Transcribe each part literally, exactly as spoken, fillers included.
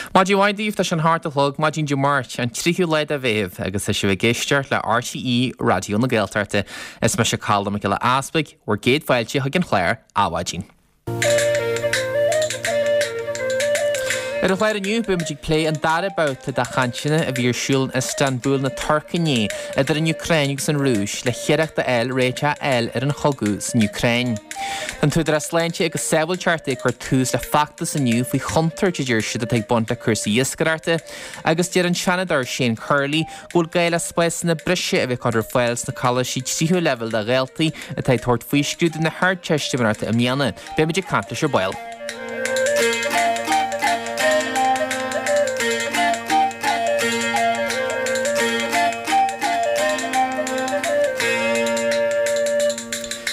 Maidin mhaith daoibh tá sé an hocht a chlog maidin Dé Máirt an tríú lá de Mheitheamh agus tá sibh ag éisteacht le RTÉ Raidió na Gaeltachta. Is mise Colm Mac Giolla Easpaig, bhur gcéad fáilte chuig an chlár Adhmhaidin. Ar an chlár inniu beimid ag plé an dara babhta de chainteanna a bhí ar siúl in Istanbul na Tuirce inné idir an Úcráin agus an Rúis le hiarracht a fháil réiteach a fháil ar an chogadh san Úcráin. Tá an tÚdarás Sláinte agus Sábháilteachta ag cur tús le feachtas inniu faoi chontúirt a deir siad atá ag baint le cúrsaí iascaireachta agus deir an Seanadóir Shane Curley go bhfuil gá le spásanna breise a bheith curtha ar fáil sna coláistí tríú leibhéal do dhaltaí atá ag tabhairt faoi scrúdú na hArdteistiméireachta i mbliana. Beimid ag caint leis ar ball.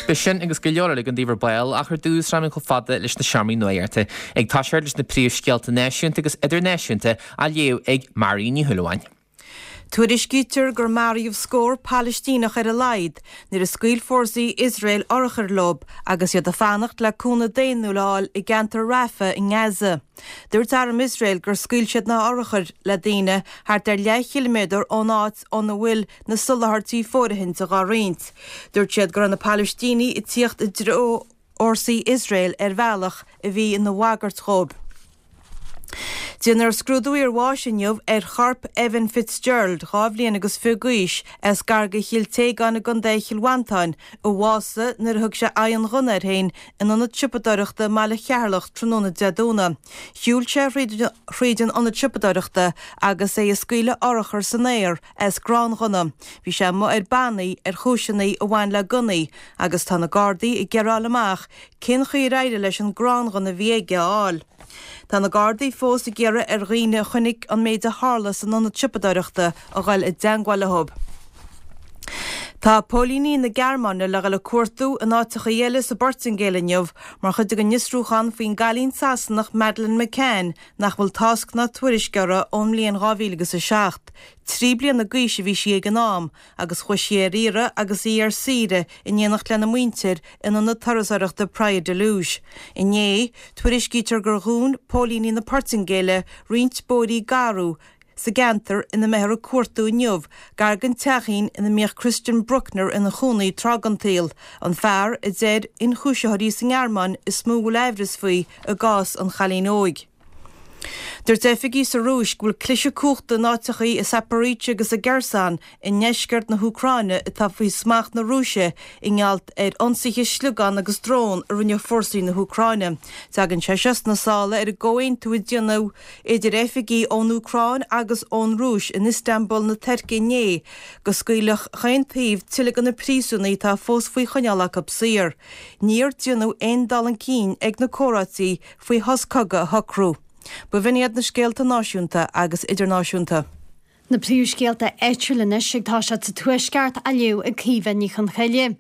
Beidh sin agus go leor eile againn daoibh ar ball ach ar dtús rachaimid chomh fada leis na seomraí nuachta ag toiseacht leis na príomhscéalta náisiúnta agus idirnáisiúnta á léamh ag Mary Ní Shúilleabháin. Tuairiscítear gur maraíodh scór Palaistíneach ar a laghad nuair a scaoil fórsaí Iosrael urchair leo agus iad ag fanacht le cúnamh daonnúil a fháil i gceantar Rafah i nGaza. Dúirt arm Iosrael gur scaoil siad na hurchair le daoine thart ar leathchiliméadar ón áit óna bhfuil na soláthairtí fóirithinte á roinnt. Dúirt siad go raibh na Palaistínigh ag tíocht i dtreo fhórsaí Iosrael ar bhealach a bhí ina bhagairt dhóibh. Déanfar scrúdú iarbháis inniu ar chorp Evan Fitzgerald, dhá bhliain agus fiche d'aois, as gar do Chill Téagáin i gContae Chill Mhantáin, a bhásaigh nuair a thug sé aghaidh an ghunna air féin in ionad siopadóireachta i mbaile Cheatharlach tráthnóna Dé Domhnaigh. Shiúil sé thríd an ionad siopadóireachta agus é ag scaoileadh urchar san aer as gránghunna. Bhí sé amuigh ar bannaí ar chúiseanna a bhain le gunnaí agus tá na Gardaí ag iarraidh a fháil amach cén chaoi ar éirigh leis an gránghunna a bhí aige a fháil. Tá na Gardaí fós ag iarraidh ar dhaoine a chonaic an méid a tharla san ionad siopadóireachta a dhul i dteangmháil leo. Tá póilíní na Gearmáine le dhul ag cuartú in áiteachaí eile sa bPortaingéil inniu mar chuid den fhiosrúchán faoin gcailín Sasanach Madeleine McCann nach bhfuil tásc ná tuairisc uirthi ón mbliain dhá mhíle agus a seacht. Trí bliana d'aois a bhí sí ag an am agus chuaigh sí ar iarraidh agus í ar saoire in éineacht lena muintir in ionad turasóireachta Praia da Luz. Inné, tuairiscítear gur dhún póilíní na Portaingéile roinnt bóithrí garbha sa gceantar ina mbeifear ag cuartú inniu, gar don teachín ina mbíodh Christian Bruckner ina chónaí tráth den tsaol, an fear a deir ionchúisitheoirí sa nGearmáin is mó a bhfuil aimhreas faoi i gcás an chailín óig. Dúirt oifigigh sa Rúis go bhfuil cliseadh cumhachta in áiteachaí i Zaporizhzhia agus i gKherson i ndeisceart na hÚcráine atá faoi smacht na Rúise i ngeall ar ionsaithe sliogán agus drón a rinne fórsaí na hÚcráine. Tagann sé seo sna sála ar an gcomhaontú a déanadh idir oifigigh ón Úcráin agus ón Rúis in Istanbul na Tuirce inné go scaoilfeadh chaon taobh tuilleadh de na príosúnaigh atá fós faoi choinneáil acu saor. Níor déanadh aon dul chun cinn ag na comhráití faoi shos cogaidh a shocrú. B'in iad na scéalta náisiúnta agus idirnáisiúnta. Na príomhscéalta áitiúla anois ag toiseacht sa Tuaisceart á léamh ag Caoimhe Ní Chonchoille.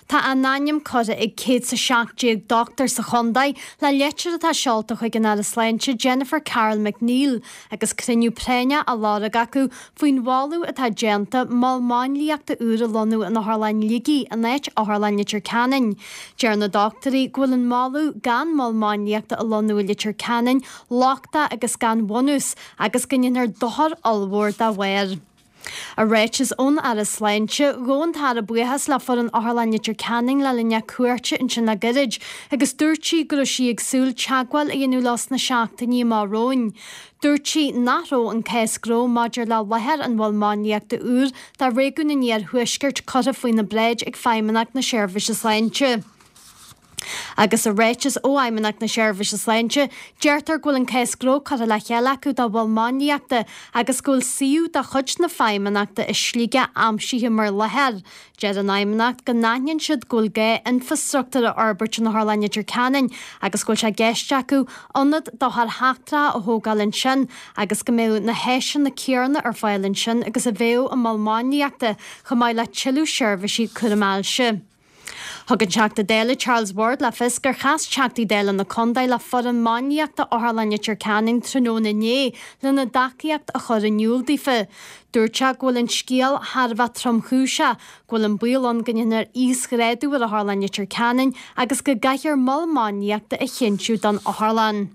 Tá a n-ainm curtha ag céad 's a seacht déag dochtúir sa chontae le litir atá seolta chuig an Aire Sláinte Jennifer Carroll MacNeill agus cruinniú práinneach á lorg acu faoin mholadh atá déanta mol máinliachta úr a lonnú in Otharlann Shligigh in áit Otharlann Leitir Ceanainn. Deir na dochtúirí go bhfuil an moladh gan mol máinliachta a lonnú i Leitir Ceanainn lochtach agus gan bhunús agus go ndéanfar dochar ollmhór dá bharr. I ráiteas ón Aire Sláinte, ghabh an tAire buíochas le foireann Otharlann Leitir Ceanainn le linn a cuairte ansin le gairid agus dúirt sí go raibh sí ag súil teagmháil a dhéanamh leo sna seachtainí amach romhainn. Dúirt sí nach raibh an cás gnó maidir le láthair an mhoil máinliachta úr do réigiún an Iarthuaiscirt curtha faoina bráid ag Feidhmeannacht na Seirbhíse Sláinte. Agus i ráiteas ó Fheidhmeannacht na Seirbhíse Sláinte, deirtear go bhfuil an cás gnó curtha le chéile acu do mhol máinliachta agus go bhfuil suíomh de chuid na Feidhmeannachta i Sligeach aimsithe mar láthair. Deir an Fheidhmeannacht go n-aithníonn siad go bhfuil gá infreastruchtúr a fhorbairt in Otharlann Leitir Ceanainn agus go bhfuil sé i gceist acu ionad d'othair sheachtracha a thógáil ansin agus go mbeadh na háiseanna céanna ar fáil ansin agus a bheadh i mol máinliachta chomh maith le tuilleadh seirbhísí cúraim ailse. Thug an Teachta Dála Charles Ward le fios gur chas Teachtaí Dála na contae le foireann máinliachta Otharlann Leitir Ceanainn tráthnóna inné lena dtacaíocht a chur in iúl daofa. Dúirt sé go bhfuil an scéal thar a bheith tromchúiseach, go bhfuil an baol ann go ndéanfar íosghrádú ar Otharlann Leitir Ceanainn agus go gcaithfear mol máinliachta a chinntiú don otharlann.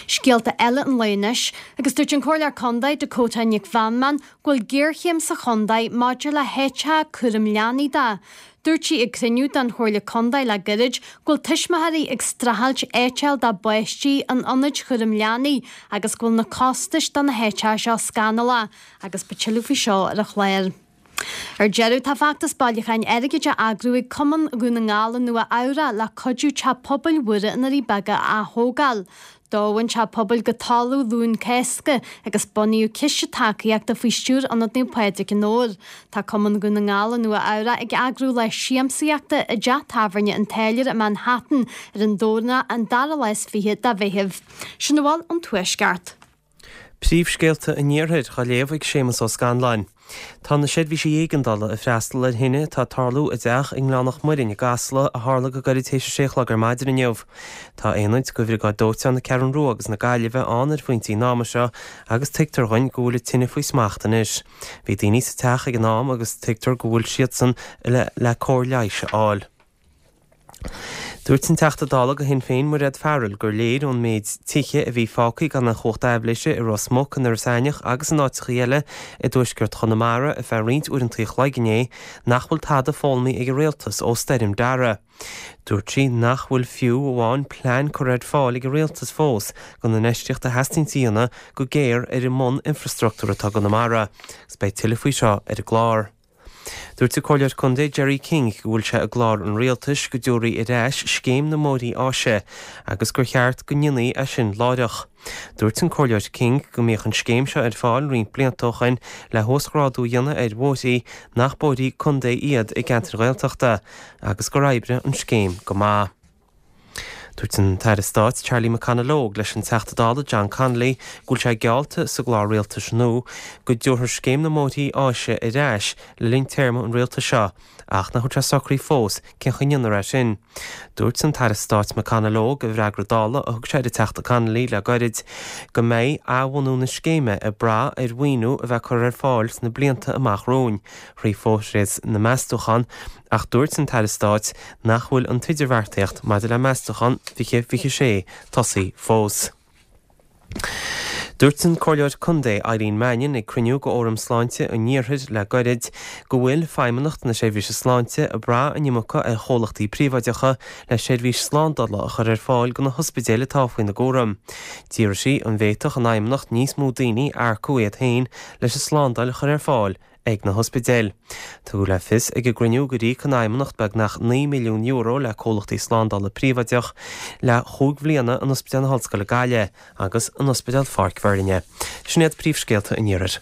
Scéalta eile an lae anois, agus dúirt an Comhairleoir Contae Dakota Nic Mheanman go bhfuil géarchéim sa chontae maidir le háiteacha cúram leanaí de. Dúirt sí ag cruinniú den Chomhairle Contae le gairid go bhfuil tuismitheoirí ag streachailt áit a fháil dá bpáistí in ionaid chúram leanaí agus go bhfuil na costais do na háiteacha seo scannalach agus beidh tuilleadh faoi seo ar an chlár. Ar deireadh tá feachtas bailiúcháin airgid á eagrú ag Cumann Dhún na nGall i Nua Eabhrac le cuidiú teach pobail Mhuire i nDoirí Beaga a ath-thógáil. Dódh an teach pobail go talamh Luan Cásca agus bunaíodh ciste tacaíochta faoi stiúir Ionad Naomh Pádraig i nDobhar. Tá Cumann Dhún na nGall i Nua Eabhrac ag eagrú lá siamsaíochta i dteach tábhairne an Táilliúir i Manhattan ar an Domhnach an dara lá is fiche de Mheitheamh. Sin a bhfuil ón Tuaisceart. Príomhscéalta an Iarthair á léamh ag Séamus Ó Scanláin. Tá na seirbhísí éigeandála ag freastal ar thine atá ag tarlú i dteach i nGleann Mhuirinn i gCasla a tharla go gairid théis a sé a chlog ar maidin inniu. Tá aonaid de Bhriogáid Dóiteáin na Ceathrún Rua agus na Gaillimhe ann ar phointí an ama seo agus tuigtear dhúinn go bhfuil an tine faoi smacht anois. Bhí daoine sa teach ag an am agus tuigtear go bhfuil siadsan le le cóir leighis a fháil. Dúirt an Teachta Dála do Shinn Féin Mairéad Farrell gur léir ón méid tithe a bhí fágtha gan an chumhacht aibhléise i Ros Muc, in Iorras Aithneach agus in áiteacha eile i dtuaisceart Chonamara ar feadh roinnt uaireanta an chloig inné nach bhfuil tada foghlamtha ag an rialtas ó Stoirm Dara. Dúirt sí nach bhfuil fiú amháin plean curtha ar fáil ag an rialtas fós don infheistíocht a theastaíonn a dhéanamh go géar ar an mbun-infreastruchtúr atá i gConamara. Agus beidh tuilleadh faoi seo ar an gclár. Dúirt an Comhairleoir Contae Jerry King go bhfuil sé i gclár an rialtais go dtabharfaí ar ais scéim na mbóithrí áise agus gur cheart go ndéanfaí é sin láithreach. Dúirt an Comhairleoir King go mbíodh an scéim seo ar fáil roinnt blianta ó shin le huasghrádú a dhéanamh ar bhóithrí nach bóithrí contae iad i gceantair Ghaeltachta agus gur oibrigh an scéim go maith. Dúirt an tAire Stáit Charlie McConalogue leis an Teachta Dála John Connolly go bhfuil sé geallta sa gclár rialtais nua go dtabharfar scéim na mbóithrí áise ar ais le linn téarma an rialtais seo ach nach bhfuil sé socraithe fós cén chaoi a ndéanfar é sin. Dúirt an tAire Stáit McConalogue i bhfreagra Dála a thug sé ar an Teachta Connolly le gairid go mbeidh athbhunú na scéime ag brath ar mhaoiniú a bheith curtha ar fáil sna blianta amach romhainn, thrí phróiseas na meastúchán ach dúirt an tAire Stáit nach bhfuil an t-idirbheartaíocht maidir le meastúchán fiche fiche sé tosaithe fós. Dúirt an Comhairleoir Contae Eileen Mannion ag cruinniú de Fhóram Sláinte an Iarthair le gairid go bhfuil Feidhmeannacht na Seirbhíse Sláinte ag brath an iomarca ar chomhlachtaí príobháideacha le seirbhís slándála a chur ar fáil do na hospidéil atá faoina gcúram. D'iarr sí an bhféadfadh an Fheidhmeannacht níos mó daoine a earcú iad féin leis an slándáil a chur ar fáil ag na hospidéil. Tugadh le fios ag an gcruinniú gur íoc an Fheidhmeannacht beagnach naoi milliún euro le comhlachtaí slándála príobháideach le chúig bhliana in Ospidéal na hOllscoile Gaillimh agus in Ospidéal Pháirc Bheirne. Sin iad príomhscéalta an Iarthair.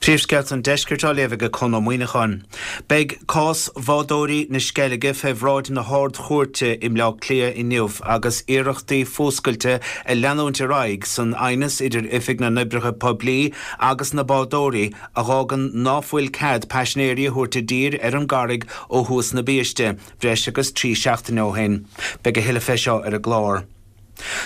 Príomhscéalta an Deiscirt á léamh ag Conn Ó Muíneacháin. Beidh cás bhádóirí na Sceilge fé bhráid na hArd-Chúirte i mBleá Cliath inniu agus iarrachtaí fuascailte ag leanúint ar aghaidh san aighneas idir Oifig na nOibreacha Poiblí agus na bádóirí a dh'fhágann ná fuil cead paisinéirí a thabhairt i dtír ar an gcarraig ó thuas na biaiste breis agus trí seachtaine ó shin. Beidh a thuilleadh fé seo ar an gclár.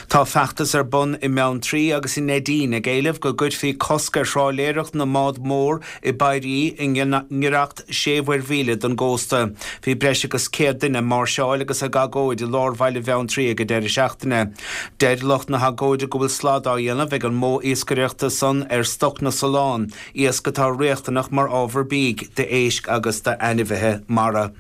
Tá feachtas ar bun i mBeanntraí agus i Neidín ag éileamh go gcuirfí cosc ar thrálaeireacht na mbád mór i bpairí i ngiorracht sé mhuirmhíle don gcósta. Bhí breis agus céad duine ag máirseáil agus ag agóid i lár bhaile Bheanntraí ag an deireadh seachtaine. Deir lucht na hagóide go bhfuil slad á dhéanamh ag an modh iascaireachta san ar stoc na salán, iasc atá riachtanach mar ábhar bídh d'éisc agus d'ainmhithe mara.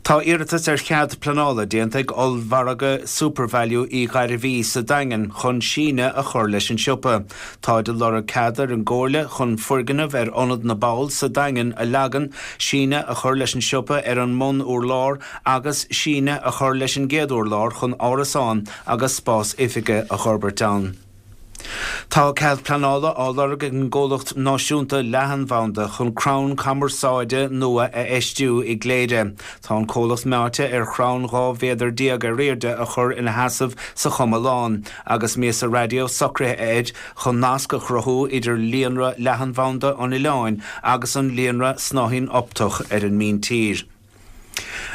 Tá iarratas ar chead pleanála déanta ag ollmhargadh SuperValu Uí Ghairbhí sa Daingean chun síneadh a chur leis an siopa. Táid ag lorg cead ar an gComhairle chun foirgneamh ar Ionad na bPoll sa Daingean a leagan, síneadh a chur leis an siopa ar an mbun-urlár agus síneadh a chur leis an gcéad urlár chun árasáin agus spás oifige a fhorbairt ann. Tá cead pleanála á lorg ag an gcomhlacht náisiúnta leathanbhanda chun crann cumarsáide nua a fheistiú i gCléire. Tá an comhlacht meáite ar chrann dhá mhéadar déag ar airde a chur ina sheasamh sa chuma lán, agus miasa raidió socraithe air chun nasc a chruthú idir líonra leathanbhanda an oileáin agus an líonra snáithín optach ar an míntír.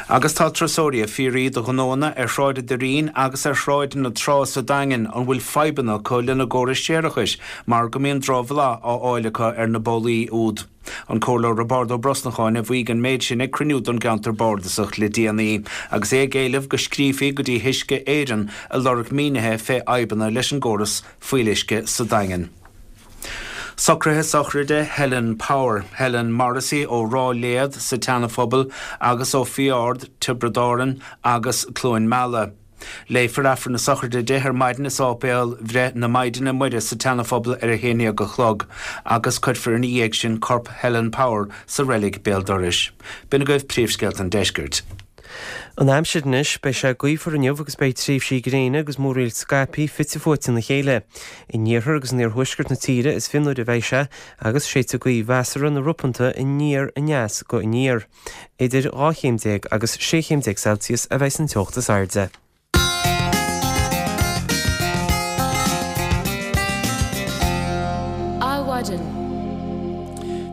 Agus tá turasóirí ag fiafraí de ghnóanna ar Shráid an Doirín agus ar Shráid na Trá sa Daingean an bhfuil fadhbanna acu lena gcórais séarachais mar go mbíonn drochbhlath á fháil acu ar na bólaí úd. An Comhairleoir Roibeárd Ó Brosnacháin a mhaígh an méid sin ag cruinniú don gceantar bardasach le déanaí, agus é ag éileamh go scríofaí go dtí hUisce Éireann ag lorg mínithe fé fhadhbanna leis an gcóras fuíolluisce sa Daingean. Socruithe sochraide Helen Power, Helen Morrissey ó Ráth Léad sa tSeanaphobal agus ó Fiard, Tiobraid Árann agus Cluain Meala. Léifear Aifreann na sochraide di ar maidin i Sáipéal Bhreith na Maighdine Muire sa tSeanaphobal ar a haon déag a chlog agus cuirfear ina dhiaidh sin corp Helen Power sa reilig béal dorais. B'in agaibh príomhscéalta an deiscirt. An aimsir anois, beidh sé gaofar inniu agus beidh tréimhsí gréine agus múraíl scaipthe fite fuaite ina chéile. In iarthar agus in iarthuaisceart na tíre is fionnuaire a bheidh sé agus séidfidh gaoth mheasartha nó ropanta aniar aneas go aniar. Idir dhá chéim déag agus sé chéim déag Celsius a bheidh san teocht is airde. Adhmhaidin.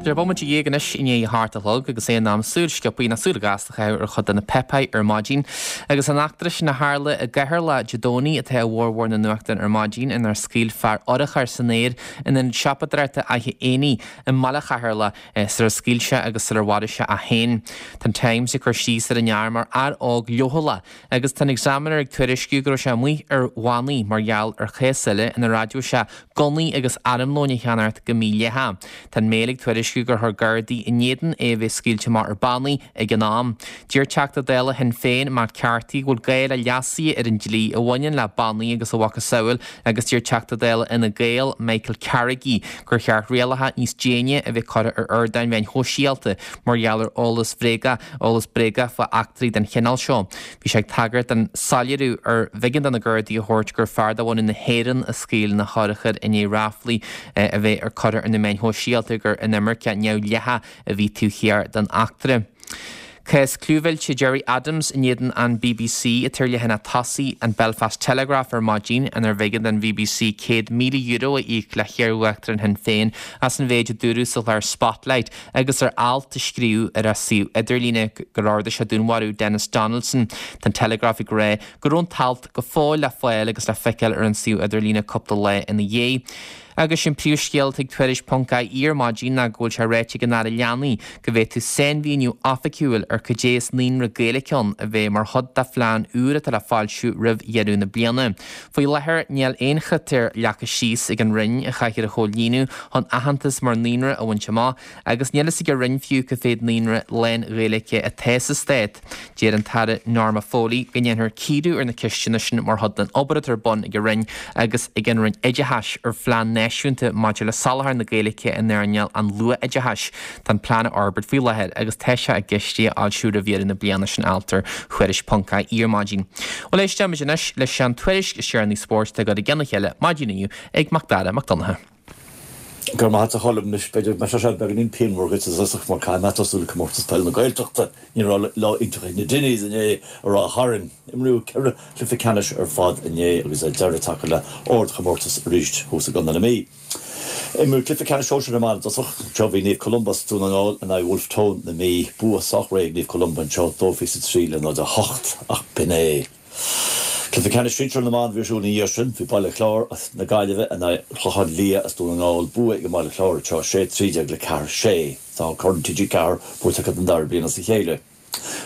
Tá sé bomaite dhéag anois i ndiaidh a hocht a chlog agus é in am súil sciobtha nó súil ghasta a chaitheamh ar chuid de na páipéir ar maidin. Agus an eachtra sin a tharla i gCeatharlach Dé Domhnaigh atá i bhformhór na nuachtán ar maidin inar scaoil fear urchar san aer in ionad siopadóireachta Fhaiche Éanaigh i mbaile Cheatharlach sular scaoil sé agus sular mharaigh sé é féin. Tá an Times ag cur síos ar an fhear mar fhear óg leochaileach agus tá an Examiner ag tuairisciú go raibh sé amuigh ar bhannaí mar gheall ar chás eile inar admhaigh sé gunnaí agus armlóin a cheannacht go mídhleathach. Tá an Mail ag tuairisciú gur chuir Gardaí in éadan é a bheith scaoilte amach ar bannaí ag an am. Deir Teachta Dála Shinn Féin, Matt Carthy, go bhfuil gá le leasuithe ar an dlí a bhaineann le bannaí agus a mhacasamhail agus deir Teachta Dála Fhine Gael, Michael Carrigy, gur cheart rialacha níos déine a bheith curtha ar ardáin mheáin shóisialta mar gheall ar eolas bhréagach, eolas bréagach fá eachtraí den chineál seo. Bhí sé ag tagairt don soiléiriú ar bh'éigean do na Gardaí a thabhairt gur fear de bhunadh na hÉireann a scaoil na hurchair i ndiaidh ráflaí a bheith ar curtha ar na meáin shóisialta gur inimirceach neamhdhleathach a bhí taobh thiar den eachtra. Cás clúmhillte Gerry Adams in éadan an bbc atá ar leathanach tosaigh an Belfast Telegraph ar maidin inar bh'éigean don bbc céad míle euro a íoc le hiar-uachtarán Shinn Féin as an mhéid a dúradh sa chlár Spotlight agus ar alt a scríobhadh ar a suíomh idirlíne gur ordaigh sé dúnmharú Denis Donaldson. Tá an Telegraph ag rá go raibh an t-alt go fóill le fáil agus le feiceáil ar an suíomh idirlíne cúpla lá ina dhiaidh. Agus an príomhscéal ag Tuairisc ponc ie ar maidin ná go bhfuil sé ráite ag an Aire Leanaí go bhféadfadh sainmhíniú oifigiúil ar cad é is naíonra Gaeilge ann a bheith mar chuid de phlean úr atá le foilsiú roimh dheireadh na bliana. Faoi láthair níl aon chritéir leagtha síos ag an Roinn a chaithfear a chomhlíonadh chun aitheantas mar naíonra a bhaint amach agus níl fhios ag an Roinn fiú cá mhéad naíonra lán-Ghaeilge atá sa stát. Deir an tAire Norma Foley go ndéanfar cíoradh ar na ceisteanna sin mar chuid den obair atá ar bun ag an Roinn agus ag an Roinn Oideachais ar phlean náisiúnta maidir le soláthar na Gaeilge in earnáil an luathoideachais. Tá an plean á fhorbairt faoi láthair agus tá sé i gceist é a fhoilsiú roimh dheireadh na bliana sin alt ar Thuairisc ponc ie ar maidin. Bhuel éisteimid anois leis an tuairisc is deireanaí spóirt atá curtha i gceann a chéile maidin inniu ag Macdara Mac Donncha. Go raibh maith agat a Cholm. Anois, b'fhéidir go mbeidh sé seo beagáinín pianmhar dhuit i dtosach mar caithfidh mé tosú le Comórtas Peile na Gaeltachta. Ní raibh lá iontach ag na Dinnies inné i Ráth Chairn. Imríodh ceithre chluiche ceannais ar fad inné agus deireadh tagtha le ardchomórtas arís thuas i gContae na Mí. Imríodh cluiche ceannais sóisir na mban i dtosach. Anseo bhí Naomh Columba as Dún na nGall in aghaidh Wolfe Tone na Mí. Bua sách réidh ag Naomh Columba anseo, dó fiche is a trí le náid a hocht, ach b'in é. Cluiche ceannais sinsir na mban a bhí ar siúl ina dhiaidh sin. Bhí Baile Chláir as na Gaillimhe in aghaidh Chlochán Liath as Dún na nGall. Bua ag an mBaile Chláir anseo, sé trí déag le ceathair sé. Tá Corn T G Ceathair buaite acu don dara bliain as a chéile.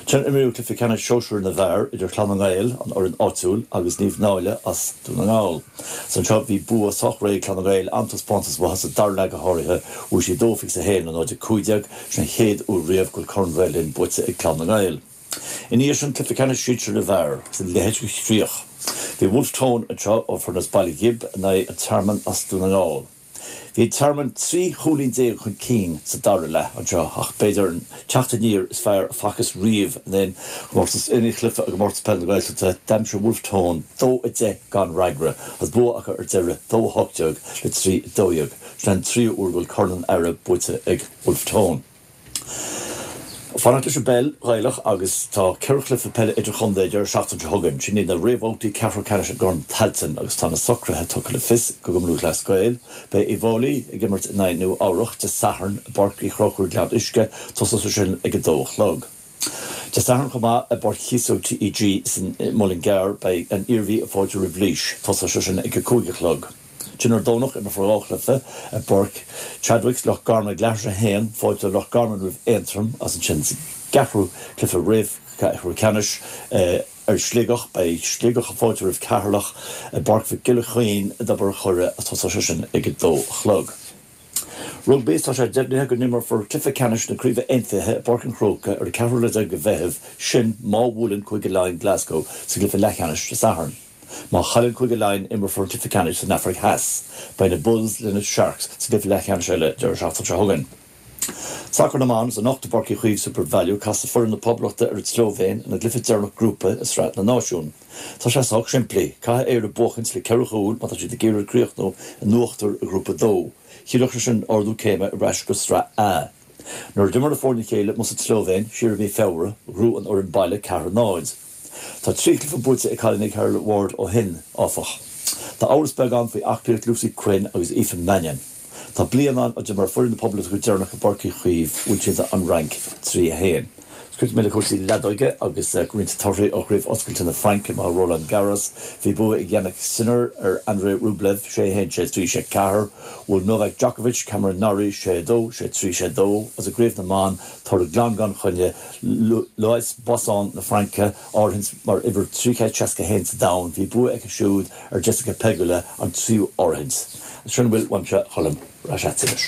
Ansin imríodh cluiche ceannais sóisir na bhfear idir Clann na nGael, an fhoireann áitiúil, agus Naomh Náille as Dún na nGall. Is anseo bhí bua sách réidh ag Clann na nGael, an-taispeántas uathu sa dara leath go háirithe. Bhuaigh siad dó fiche is a haon le náid a cúig déag. Sin an chéad uair riamh go bhfuil Corn Ghael Linn buaite ag Clann na nGael. Ina dhiaidh sin, cluiche ceannais sinsir na bhfear agus a leithéid de chríoch. Bhí Wolfe Tone anseo ó foireann as Baile Ghib in aghaidh An Tearmann as Dún na nGall. Bhí An Tearmann trí chúilín déag chun cinn sa dara leath anseo ach b'fhéidir an teacht aniar is fearr a facthas riamh in aon chomórtas, in aon chluiche i gComórtas Peile na Gaeltachta. D'aimsigh Wolfe Tone dó a deich gan fhreagra agus bua acu ar deireadh, dó a hocht déag le trí a dó dhéag. Sin an tríú huair go bhfuil Corn an Aire buaite ag Wolfe Tone. Fanacht leis an bpeil Ghaelach agus tá ceithre chluiche peile idirchontae an deireadh seachtaine seo chugainn. Sin iad na réamhbhabhtaí ceathrú ceannais i gCorn Tailteann agus tá na socruithe tugtha le fios ag Cumann Lúthchleas Gael. Beidh Uíbh Fhailí ag imirt in aghaidh Nua Eabhrach Dé Sathairn i bPáirc Uí Chonchúir Gleann Uisce, tosóidh sé sin ag a dó a chlog. Dé Sathairn chomh maith i bPáirc Chíosóg T E G san Muileann gCearr beidh an Iarmhí ag fáiltiú roimh Laois, tosóidh sé sin ag a cúig a chlog. Ansin ar Domhnach, imreofar dhá chluiche i bPáirc Chadwicks, Loch Garman ag leathuair tar éis a haon, fáilte Loch Garman roimh Aontroim agus ansin sa gceathrú cluiche réamh-cheathrú ceannais ar Sligeach, beidh Sligeach ag fáiltiú roimh Ceatharlach i bPáirc Mhic Giolla Chaoin i dTobar an Choire agus tosóidh sé sin ag a dó a chlog. Rugbaí, Tá sé deimhnithe go n-imreofar cluiche ceannais na Craoibhe Aontaithe i bPáirc an Chrócaigh ar an ceathrú lá déag de Mheitheamh, sin má bhuaileann Cúige Laighean Glasgow sa gcluiche leathcheannais Dé Sathairn. Má chailleann Cúige Laighean, imreofar an cluiche ceannais san Afraic Theas. Beidh na Bulls le na Sharks sa gcluiche leathcheannais eile deireadh seachtaine seo chugainn. Sacar na mBan, Anocht i bPáirc Uí Chaoimh SuperValu, casfaidh foireann na Poblachta ar an tSlóivéin ina gcluiche deireanach grúpa i Sraith na Náisiún. Tá sé sách simplí, caithfidh Éire buachaint le ceithre chúl má tá siad ag iarraidh críochnú in uachtar i nGrúpa a dó. Chiallódh sé sin ardú céime ar ais go Sraith A. Nuair a d'imir na foirne a chéile amuigh sa tSlóivéin siar i mí Feabhra, ghnóthaigh an fhoireann baile ceathair a náid. Tá trí chluiche buaite ag cailíní Carol Ward ó shin, áfach. Tá amhras beag ann faoi aclaíocht Lucy Quinn agus Aoife Mannion. Tá bliain ann ó d'imir foireann na Poblachta go deireanach i bPáirc Uí Chaoimh, bhuail siad an Fhrainc trí a haon. Críochnóidh mé le cúrsaí leadóige agus roinnt torthaí ó Chraobh Oscailte na Fraince amuigh i Roland Garros. Bhí bua ag Jannik Sinner ar Andrei Rublev, sé a haon, sé a trí, sé a ceathair. Bhuail Novak Djokovic Cameron Norrie, sé a dó, sé a trí, sé a dó. Agus i gCraobh na mBan, toradh glan gan choinne, Lois Boisson na Fraince, áirithint mar uimhir trí chéad seasca a haon sa domhan, bhí bua aici siúd ar Jessica Pegula, an tríú áirithint. Sin a bhfuil uaimse, a Choilm. Ar ais agat anois.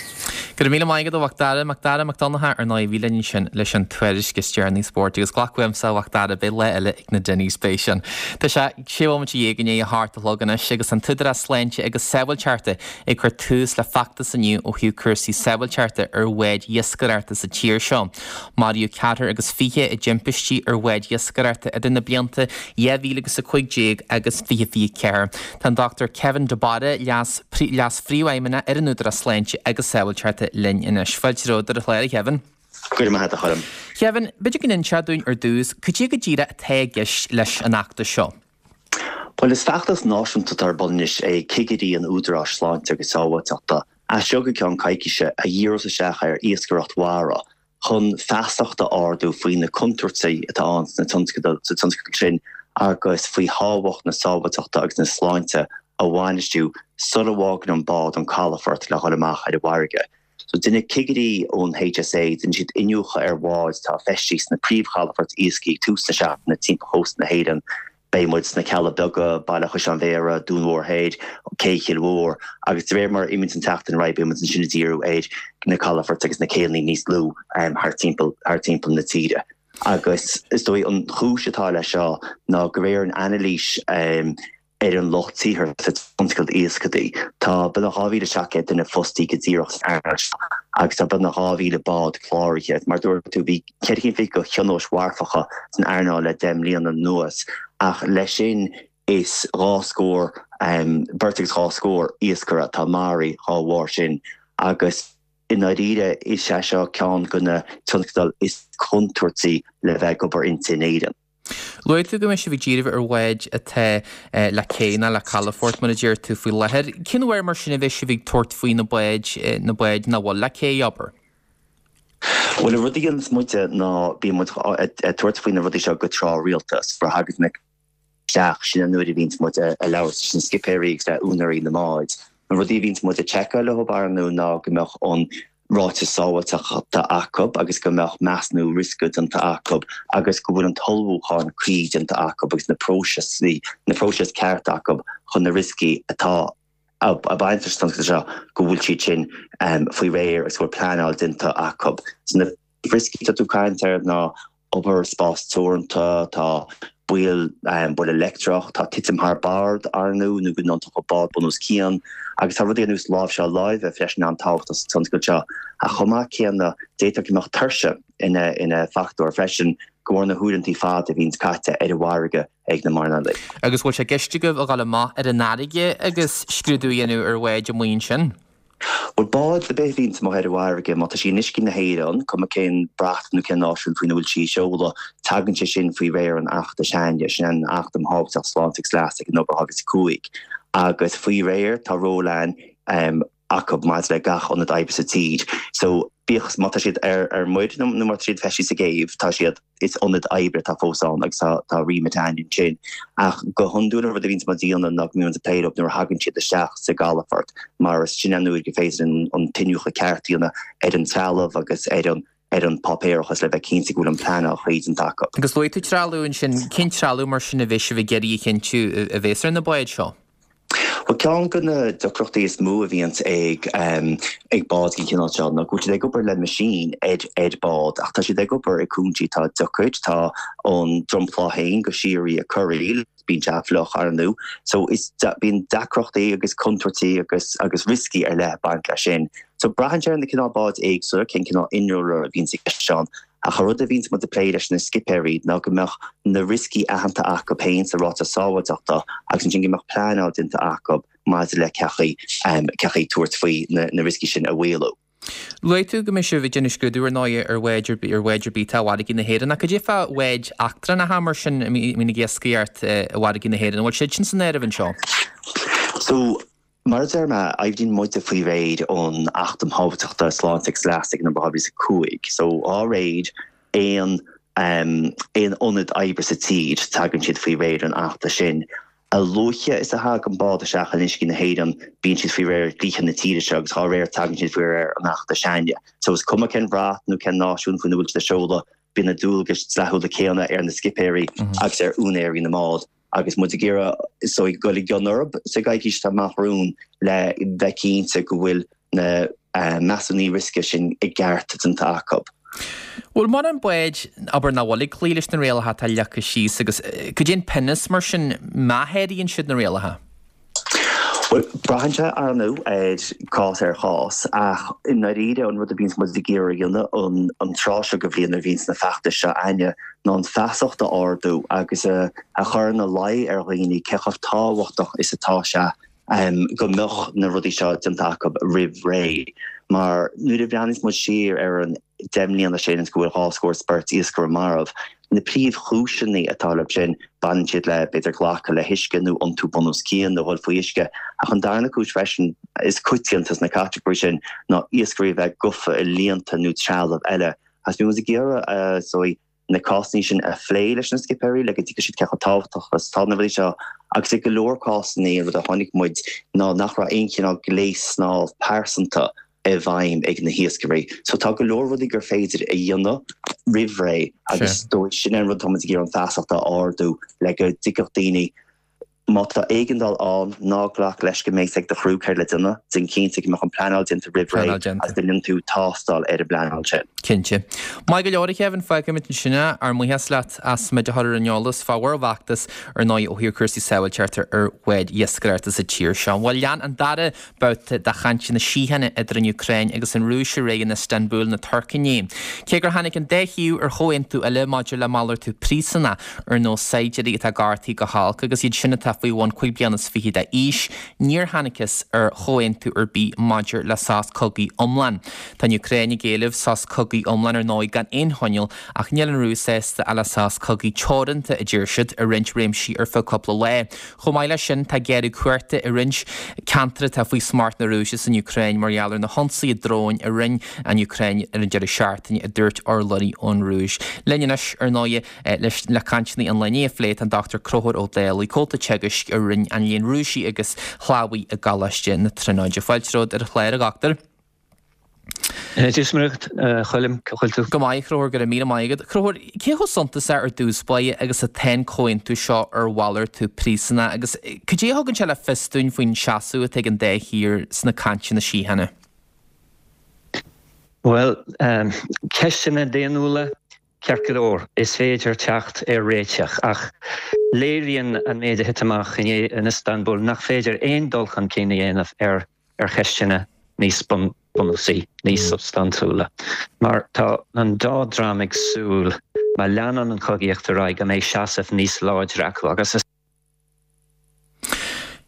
Go raibh míle maith agat a Mhac Dara, Mac Dara Mac Donncha ar ndóigh a bhí linn ansin leis an tuairisc is deireanaí spóirt agus glac uaimse a Mhac Dara, beidh lá eile ag na Denny's beidh sin. Tá sé sé bhomaite dhéag i ndiaidh a hocht a chlog anois agus an tÚdarás Sláinte agus Sábháilteachta ag cur tús le feachtas inniu ó thaobh cúrsaí sábháilteachta ar bháid iascaireachta sa tír seo. Maraíodh ceathrar agus fiche i dtimpistí ar bháid iascaireachta idir na blianta dhá mhíle agus a cúig déag agus fiche fiche ceathair. Tá an Dochtúir Kevin de Barra, Leas Leas-Phríomhfheidhmeannach ar an Údarás Sláinte agus Sábháilteachta linn anois. Fáilte romhat ar an chlár, a Kevin. Go raibh maith agat, a Choilm. Kevin, b'fhéidir go n-inseofá dúinn ar dtús, cad é go díreach atá i gceist leis an fheachtas seo? Bhuel, is feachtas náisiúnta atá ar bun anois ag cigirí an Údaráis Sláinte agus Sábháilteachta as seo go ceann coicíse a dhíreos isteach ar iascaireacht mhara chun feasacht a ardú faoi na contúirtí atá ann sna tionscadail, sa tionscadal sin agus faoi thábhacht na sábháilteachta agus na sláinte a bhainistiú sula bhfágann an bád an calafort le dhul amach ar an bhfarraige. So déanfaidh cigirí ón H S A, déanfaidh siad iniúchadh ar bháid atá feistithe sna príomhchalafoirt iascaigh ag tús na seachtaine timpeall chósta na hÉireann. Beidh muid sna Cealla Beaga, Baile Chaisleáin Bhéarra, Dún Mór Thoir, Cé Chill Mhór agus de réir mar a imíonn an tseachtain ar aghaidh beidh muid ansin ag díriú ar na calafoirt agus na céanna níos lú thar timpeall thar timpeall na tíre. Agus is dóigh an chúis atá leis seo ná de réir an anailís ar an lucht saothair sa tionscal iascaigh, tá beagnach dhá mhíle seacht gcéad duine fostaí go díreach san earnáil seo agus tá beagnach dhá mhíle bád cláraithe. Mar a dúirt tú, bhí ceithre chéad fiche thionóisc mharfacha san earnáil le deich mbliana anuas ach leis sin is dhá scór, beirt agus dhá scór iascaire atá maraithe dhá bharr sin agus i ndáiríre is é seo ceann de na tionscadail is contúirtí le bheith ag obair inti in Éirinn. Luaigh tú go mbeidh sibh ag díriú ar bháid atá le cé nó le calafort, mar a deir tú faoi láthair. Cén uair mar sin a bheidh sibh ag tabhairt faoi na báid, na báid nach bhfuil le cé, abair? Bhuel, an rud a dhéanas muide ná bíonn muid ag tabhairt faoi na rudaí seo go tráthrialta. Nuair a thagann na isteach, sin an uair a bhíonns muid ag labhairt leis na scipéirí agus le úinéirí na mbád. Na rudaí a bhíonns muid ag seiceáil leo ar ndóigh ná go mbeadh an ráiteas sábháilteachta acu agus go mbeadh measúnú riosca déanta acu agus go bhfuil an t-ullmhúchán cuí déanta acu agus na próisis na próisis ceart acu chun na rioscaí atá ag baint leis an tionscal seo go bhfuil siad sin faoi réir agus go bhfuil pleanáil déanta acu. So na rioscaí atá tú ag caint air ná obair i spás teoranta, tá baol buille leictreach, tá titim thar bord ar ndóigh nó go dtiontódh bád bun os cionn agus tá rudaí ar nós láimhseáil láimhe freisin an-tábhachtach sa tionscal seo. Ach chomh maith céanna, d'fhéadfadh go mbeadh tuirse ina ina fachtóir freisin de bharr na huaireanta fada a bhíonns caite ar an bhfarraige ag na mairnéalaigh. Agus bhfuil sé i gceist agaibh a dhul amach ar an fharraige agus scrúdú a dhéanamh ar bháid amuigh ansin? Bhuel, bád ar bith a bhíonns amuigh ar an bhfarraige, má tá sí in uiscí na hÉireann, cuma cén brat nó cén náisiún faoina bhfuil sí ag seoladh, tagann sé sin faoi réir an Achta s'againne, sin an Acht um Shábháilteacht, Sláinte agus Leas ag an Obair dhá mhíle is a cúig. Agus faoi réir, tá ról ann acu maidir le gach ionad oibre sa tír. So bíodh má tá siad ar ar muir nó nó má tá siad feistithe sa gcéibh, tá siad is ionad oibre atá fós ann agus tá tá remit ann ansin. Ach go hiondúil an rud a bhíonns muid a dhéanamh ná go mbíonn muid ag plé leo nuair a thagann siad isteach sa gcalafort mar is sin an uair gur féidir an an t-iniúchadh ceart a dhéanamh ar an trealamh agus ar an ar an páipéarachas le bheith cinnte go bhfuil an pleanáil chuí déanta acu. Agus luaigh tú trealamh ansin, cén trealamh mar sin a bheidh sibh ag iarraidh a chinntiú a bheas ar na báid seo? Bhuel, ceann de na deacrachtaí is mó a bhíonns ag ag báid den chineál seo ná go bhfuil siad ag obair le meaisín ar ar bád ach tá siad ag obair i gcúinsí atá deacair, tá an dromchla féin go síoraí ag corraíl, bíonn sé fliuch ar ndóigh. So is bíonn deacrachtaí agus contúirtí agus agus rioscaí ar leith ag baint leis sin. So braitheann sé ar na cineál báid éagsúla, cén cineál innealra a bhíonns i gceist ann. Ach an rud a bhíonns muid ag plé leis na scipéirí ná go mbeadh na rioscaí aitheanta acu féin sa ráiteas sábháilteachta agus ansin go mbeadh pleanáil déanta acu maidir le cén chaoi cén chaoi tabhairt faoi na rioscaí sin a mhaolú. Luaigh tú go mbeidh sibh ag déanamh scrúdú ar ndóigh ar bháid ar bith ar bháid ar bith atá i bhfarraigí na hÉireann. Ach cad é fá bháid eachtrannacha mar sin a mbíonn ag iascaireacht i bhfarraigí na hÉireann? An bhfuil siad sin san áireamh anseo? So, Mar a deir mé, oibríonn muide faoi réir an Acht um Shábháilteacht, Sláinte agus Leas ag an dhá mhíle is a cúig. So, dá réir aon aon ionad oibre sa tír, tagann siad faoi réir an Achta sin. A luaithe is a thagann bád isteach in uiscí na hÉireann, bíonn siad faoi réir dlíthe na tíre seo agus dá réir tagann siad faoi réir an Achta s'againne. So, is cuma cén bhrat nó cén náisiún faoina bhfuil siad ag seoladh, bíonn na dualgais dlíthiúla céanna ar na scipéirí agus ar úinéirí na mbád. agus muid ag iarraidh so ag dul i gcion orthu sa gcoicís atá amach romhainn le bheith cinnte go bhfuil na measúnuithe riosca sin i gceart déanta acu. Bhfuil mórán báid, abair, nach bhfuil ag cloí leis na rialacha atá leagtha síos agus cad é an pionós mar sin má sháraíonn siad na rialacha? Bhuel, braitheann sé, ar ndóigh, ar chás ar chás, ach i ndáiríre an rud a bhíonns muid ag iarraidh a dhéanamh an tráth seo de bhliain nuair a bhíonns na feachtais seo a'ainne ná an feasacht a ardú agus a chur ina luí ar dhaoine cé chomh tábhachtach is atá sé go mbeadh na rudaí seo déanta acu roimh ré. Mar nuair a bhreathnaíos muid siar ar an deich mbliana sin is go bhfuil dhá scór is beirt iascaire marbh, na príomhchúiseanna atá leo sin, baineann siad le, b'fhéidir, glacadh le huisce nó iontú bun os cionn nó dhul faoi uisce. Ach an darna cúis freisin is coitianta sna catagóirí sin ná iascairí a bheith gafa i líonta nó trealamh eile. Agus bíonn muid ag iarraidh, is dóigh, na cásanna sin a phlé leis na scipéirí le go dtuigfidh siad cé chomh tábhachtach is atá na rudaí seo agus i go leor cásanna an rud a chonaic muid ná nach raibh aon chineál gléas snámh pearsanta i bhfeidhm ag na hiascairí. So tá go leor rudaí gur féidir a dhéanamh roimh ré agus is dóigh sin é an rud táimid ag iarraidh an feasacht a ardú le go dtuigfeadh daoine má tá éigeandáil ann, ná glac leis go mbeidh a fhios ag do chriú céard le déanamh, déan cinnte go mbeadh an pleanáil déanta roimh ré agus go ndéanann tú tástáil ar an bpleanáil sin. Cinnte. Maith go leor, a Kevin, fágfaimid ansin é. Ár mbuíochas leat as muid a chur ar an eolas fá bhur bhfeachtas ar ndóigh ó thaobh cúrsaí sábháilteachta ar bháid iascaireachta sa tír seo. Bhuel, lean an dara babhta de chainteanna síochána idir an Úcráin agus an Rúis ar aghaidh in Istanbul na Tuirce inné. Cé gur tháinig an dá thaobh ar chomhaontú eile maidir le malartú príosúnach, ar nós saighdiúirí atá gortaithe go holc agus iad sin atá faoi bhun cúig bliana is fiche d'aois, níor thángthas ar chomhaontú ar bith maidir le sos cogaidh iomlán. Tá an Úcráin ag éileamh sos cogaidh iomlán ar ndóigh gan aon choinníoll ach níl an Rúis sásta ach le sos cogaidh teoranta, a deir siad, i roinnt réimsí ar feadh cúpla lá. Chomh maith leis sin, tá géarú cumhachta i roinnt ceantar atá faoi smacht na Rúise san Úcráin mar gheall ar na hionsaithe dróin a rinne an Úcráin ar an deireadh seachtaine, a dúirt urlabhraí ón Rúis. Linn anois, ar ndóigh, leis le cainteanna an lae inniu a phlé tá an Dochtúir Conchúr Ó Dálaigh, Comhalta Teagaisc i Roinn an Léinn Rúisigh agus Shlávaigh i gColáiste na Tríonóide. Fáilte romhat ar an chlár, a Dhochtúir. Dia is Muire dhuit, a Choilm, cá bhfuil tú? Go maith, a Chonchúir, go raibh míle maith agat. A Chonchúir, cé chomh suntasach ar dtús báire agus atá an comhaontú seo ar mhalartú príosúnach agus cad é a thugann sé le fios dúinn faoin seasamh atá ag an dá thír sna cainteanna síochána? Bhuel, ceisteanna daonnúla, ceart go leor, is féidir teacht ar réiteach, ach léiríonn an méid a thit amach inné in Istanbul nach féidir aon dul chun cinn a dhéanamh ar ar cheisteanna níos bunúsaí, níos substaintiúla. Mar tá an dá dhream ag súil, má leanann an chogaíocht ar aghaidh, go mbeidh seasamh níos láidre acu agus is.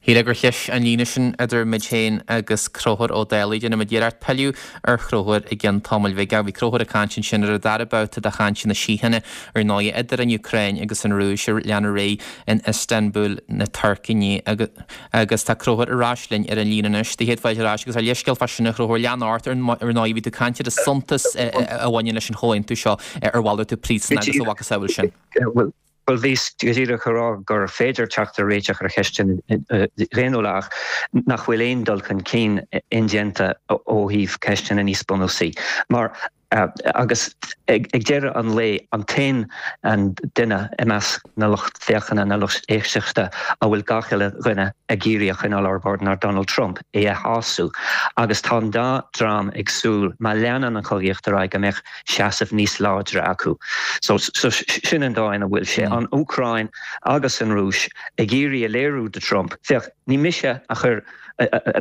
Shílfeá gur chlis an líne sin idir muid féin agus Conchúr Ó Dálaigh. Déanfaidh muid iarracht pilleadh ar Chonchúr i gcionn tamaill bhig. Bhí Conchúr ag caint ansin ar an dara babhta de chainteanna síochána ar ndóigh idir an Úcráin agus an Rúis a lean ar aghaidh in Istanbul na Tuirce inné agus tá Conchúr ar ais linn ar an líne anois. Do chéad fáilte ar ais agus ár leithscéal fá sin a Chonchúir, lean ort ar ndóigh bhí tú ag caint ar an suntas a bhaineann leis an chomhaontú seo ar mhalartú príosún agus a mhacasamhail sin. Bhuel, bhíos go díreach a rá gur féidir teacht ar réiteach ar cheisteanna daonnúla ach nach bhfuil aon dul chun cinn indéanta ó thaobh ceisteanna níos bunúsaí. Mar, agus ag deireadh an lae, an t-aon duine i measc na lucht féachana, na lucht éisteachta a bhfuil gach uile dhuine ag iarraidh a choinneáil ar bord ná Donald Trump, é a shású. Agus tá an dá dhream ag súil, má leanann an chogaíocht ar aghaidh, go mbeadh seasamh níos láidre acu. So sin an dóigh ina bhfuil sé, an Úcráin agus an Rúis ag iarraidh a léiriú do Trump, féach, ní mise a chuir,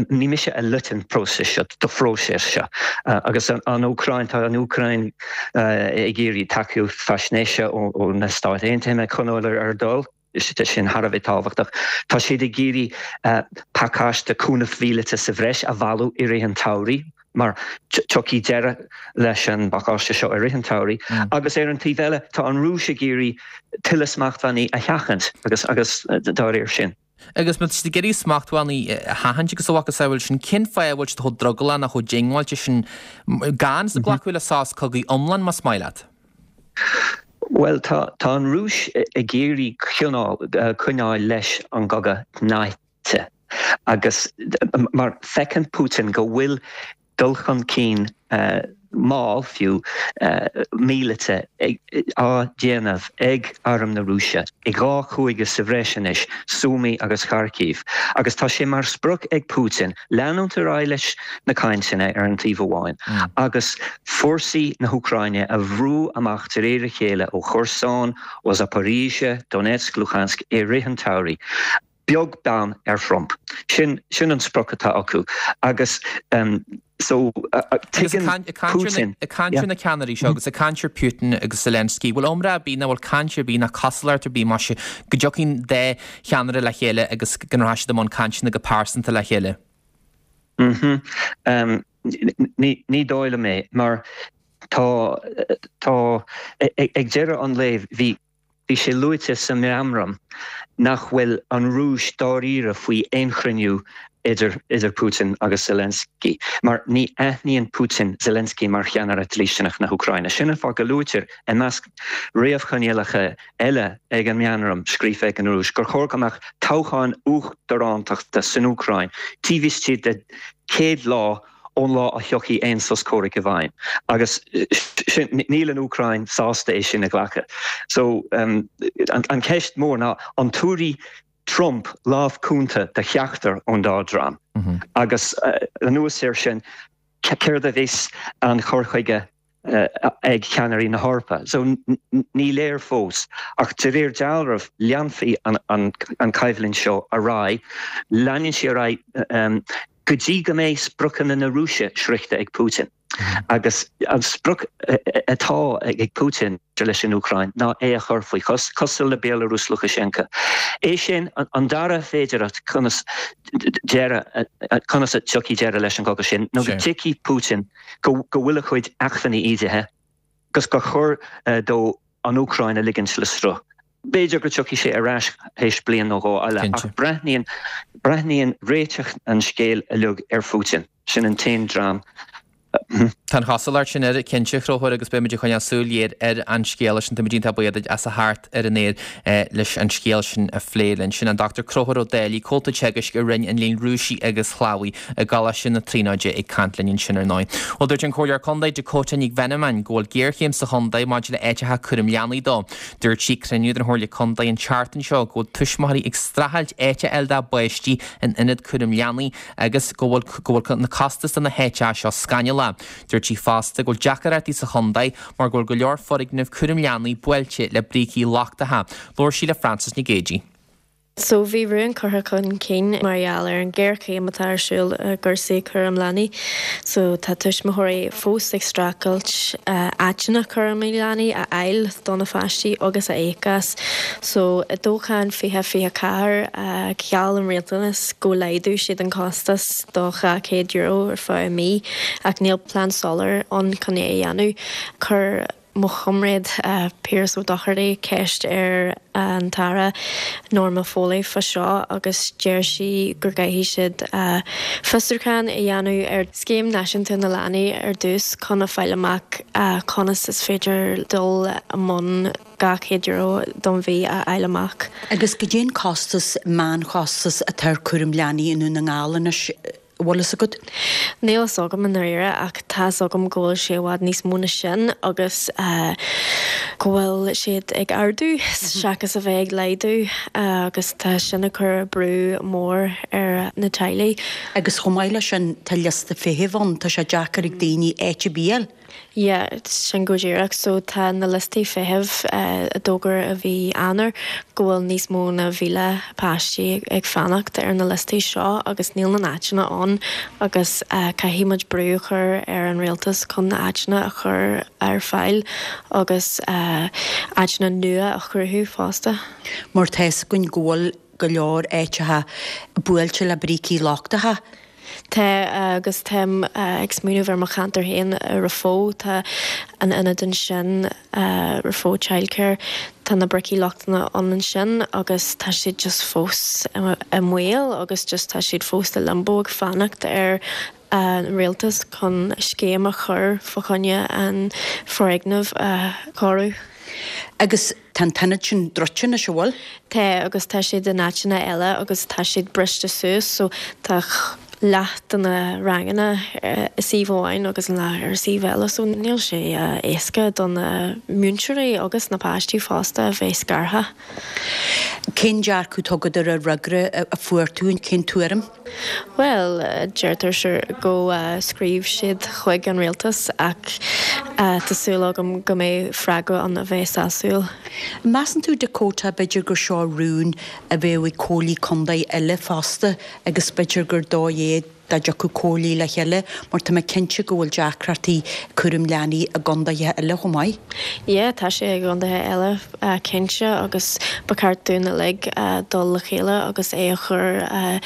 ní mise a loit an próiseas seo, do phróiseas seo. Agus an Úcráin, tá an Úcráin ag iarraidh tacaíocht faisnéise ó na Stáit Aontaithe chun coinneáil ar a dtoil. Tá sin thar a bheith tábhachtach. Tá siad ag iarraidh pacáiste cúnamh mhíleata sa bhreis a bhailiú i rith an tsamhraidh, mar tiocfaidh deireadh leis an bpacáiste seo i rith an tsamhraidh. Agus ar an taobh eile, tá an Rúis ag iarraidh tuilleadh smachtbhannaí a sheachaint agus agus dá réir sin. Agus má tá siad ag iarraidh smachtbhannaí a sheachaint agus a mhacasamhail sin, cén fáth a bhfuil siad chomh drogallach nó chomh diongbháilte sin gan glacadh le sos cogaidh iomlán, más maith leat? Bhuel, tá tá an Rúis ag iarraidh coinneáil leis an gcogadh tnáite agus mar feiceann Putin go bhfuil dul chun cinn mall fiú, míleata á dhéanamh ag arm na Rúise i dhá chúige sa bhreis anois, Sumy agus Kharkiv, agus tá sé mar sprioc ag Putin leanúint ar aghaidh leis na cainteanna ar an taobh amháin agus fórsaí na hÚcráine a bhrú amach de réir a chéile ó Kherson, ó Zaporizhzhia, Donetsk, Luhansk i rith an tsamhraidh. Beag beann ar Thrump. Sin sin an sprioc atá acu agus so tuigeann Putin. Ag caint ar na ceannairí seo agus ag caint ar Putin agus Zelensky, bhfuil iomrá ar bith nó bhfuil caint ar bith ná cosúlacht ar bith más ea go dtiocfaidh an dá cheannaire le chéile agus go rachaidh siad i mbun cainteanna go pearsanta le chéile? Mhm. Ní ní dóigh liom é mar tá tá ag deireadh an lae bhí Bhí sé luaite sa meamram nach bhfuil an Rúis dáiríre faoi aon chruinniú idir idir Putin agus Zelensky, mar ní aithníonn Putin Zelensky mar cheannaire dlísteanach na hÚcráine. Sin an fáth go luaitear i measc réamhchoinníollacha eile ag an meamram scríofa ag an Rúis gur chóir go mbeadh toghcháin uachtarántachta san Úcráin taobh istigh de céad lá ón lá a thiocfaidh aon sos comhraic i bhfeidhm agus sin, níl an Úcráin sásta é sin a ghlacadh. So an cheist mhór ná an dtabharfaidh Trump lámh cúnta do cheachtar ón dá dhream? Agus anuas air sin, céard a bheas an cur chuige ag ceannairí na hEorpa. So ní léir fós, ach de réir dealraimh leanfaidh an choimhlint seo ar aghaidh, leanann sí ar aghaidh go dtí go mbeidh spriocanna na Rúise sroichte ag Putin. Agus an sprioc atá ag Putin leis an Úcráin ná é a chur faoi chois, cosúil le Béalarúis Lukashenko. É sin an dara féidearthacht conas deireadh, conas a tiocfaidh deireadh leis an gcogadh sin, nó go dtuigfidh Putin go bhfuil a chuid acmhainní ídithe agus gur chóir dó an Úcráin a ligint le sruth. B'fhéidir go dtiocfaidh sé ar ais théis bliain nó dhó eile, ach breathnaíonn breathnaíonn réiteach an scéil uilig ar Phutin. Sin an t-aon dream. Tá an chosúlacht sin air, cinnte, a Chonchúir, agus beimid ag coinneáil súil ghéar ar an scéal sin. Táimid iontach buíoch duit as a theacht ar an aer leis an scéal sin a phlé linn. Sin an Dochtúir Conchúr Ó Dálaigh, Comhalta Teagaisc i Roinn an Léinn Rúisigh agus Shlávaigh i gColáiste na Tríonóide ag caint linn ansin ar ndóigh. Bhuel, dúirt an Comhairleoir Contae Dakota Nic Mheanman go bhfuil géarchéim sa chontae maidir le áiteacha cúraim leanaí dó. Dúirt sí ag cruinniú den Chomhairle Contae an tseachtain seo go bhfuil tuismitheoirí ag streachailt áit a fháil dá bpáistí in ionad cúraim leanaí agus go bhfuil go bhfuil na costais do na háiteacha seo scannalach. Dúirt sí fosta go bhfuil deacaireachtaí sa chontae mar go bhfuil go leor foirgneamh cúraim leanaí buailte le brící lochtacha. Labhair sí le Frances Nic Géadaigh. So bhí rún curtha chun cinn mar gheall ar an géarchéim atá ar siúl i gcúrsaí cúram leanaí. So tá tuismitheoirí fós ag streachailt áiteanna cúram leanaí a fháil do na pháistí agus a íoc as. So i dtoghchán fiche fiche ceathair gheall an rialtas go laghdódh siad an costas do dhá chéad euro ar feadh mí ach níl plean soiléir ann chun é a dhéanamh. Chuir mo chomrádaí Piaras Ó Dochartaigh ceist ar an tAire Norma Foley fá seo agus deir sí gur gcaithfidh siad fiosrúchán a dhéanamh ar Scéim Náisiúnta na Leanaí ar dtús chun a fáil amach conas is féidir dul i mbun dhá chéad euro don mhí a fháil amach. Agus goidé an costas meánchostas atá ar cúram leanaí i nDún na nGall anois? Bhfuil fhios agat? Níl fhios agam i ndáiríre ach tá fhios agam go bhfuil sé i bhfad níos mó ná sin agus go bhfuil siad ag ardú seachas a bheith ag laghdú agus tá sin ag cur brú mór ar na teaghlaigh. Agus chomh maith leis sin tá liosta feithimh ann, tá sé deacair ag daoine áit ar bith a fháil. Yeah, sin go díreach. So tá na liostaí feithimh a d'fhógair i mhí Eanáir go bhfuil níos mó ná mhíle páistí ag fanacht ar na liostaí seo agus níl na n-áiteanna ann agus caithfidh muid brú a chur ar an rialtas chun na áiteanna a chur ar fáil agus áiteanna nua a chruthú fosta. Mar tá fhios againn go bhfuil go leor áiteacha buailte le brící lochtacha. Tá agus táim ag smaoineamh ar mo cheantar féin i Raphoe, tá an ionad ansin Raphoe Childcare, tá na bricí lochtacha ann ansin agus tá siad just fós i mbaol agus just tá siad fós i limbo ag fanacht ar an rialtas chun scéim a chur fá choinne an foirgneamh a chóiriú. Agus tá an t-ionad sin druidte anois, an bhfuil? Tá agus tá siad in áiteanna eile agus tá siad briste suas so tá leath de na ranganna i suíomh amháin agus an leath ar suíomh eile so níl sé éasca do na múinteoirí agus na páistí fosta a bheith scartha. Cén dearcadh atá agat ar an fhreagra a fuair tú, cén tuairim? Bhuel, deirtear sure go scríobh siad chuig an rialtas ach tá súil agam go mbeidh freagra ann a bheidh sásúil. Measann tú Dakota b'fhéidir gur seo rún a bheadh ag comhairlí contae eile fosta agus b'fhéidir gur dóigh é dá dtiocfadh comhairlí le chéile mar tá mé cinnte go bhfuil deacrachtaí cúram leanaí i gcontaetha eile chomh maith. Yeah, tá sé i gcontaetha eile cinnte agus ba cheart dúinn uilig dul le chéile agus é a chur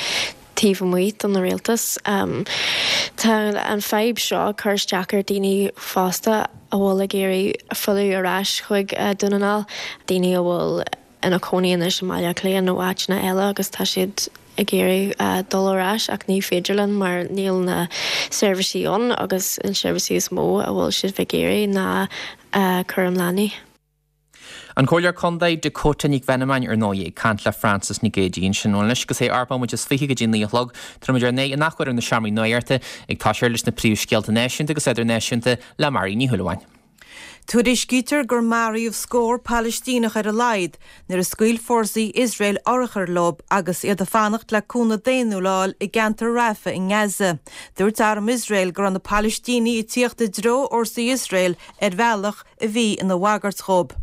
taobh amuigh don rialtas. Tá an fadhb seo ag cur isteach ar daoine fosta a bhfuil ag iarraidh filleadh ar ais chuig Dún na nGall, daoine a bhfuil ina cónaí anois i mBaile Átha Cliath nó áiteanna eile agus tá siad ag iarraidh dul ar ais ach ní féidir linn mar níl na seirbhísí ann agus an seirbhísí is mó a bhfuil siad ag iarraidh ná cúram leanaí. An Comhairleoir Contae Dakota Nic Mheanman ar ndóigh ag caint le Frances Nic Géadaigh ansin. Anois agus é ocht mbomaite is fiche go dtí naoi a chlog, tabharfaimid ár n-aghaidh in athuair ar na seomraí nuachta ag toiseacht leis na príomhscéalta náisiúnta agus idirnáisiúnta le Mary Ní Shúilleabháin. Tuairiscítear gur maraíodh scór Palaistíneach ar a laghad nuair a scaoil fórsaí Iosrael urchair leo agus iad ag fanacht le cúnamh daonnúil a fháil i gceantar Rafah i nGaza. Dúirt arm Iosrael go raibh na Palaistínigh ag tíocht i dtreo fhórsaí Iosrael ar bhealach a bhí ina bhagairt dhóibh.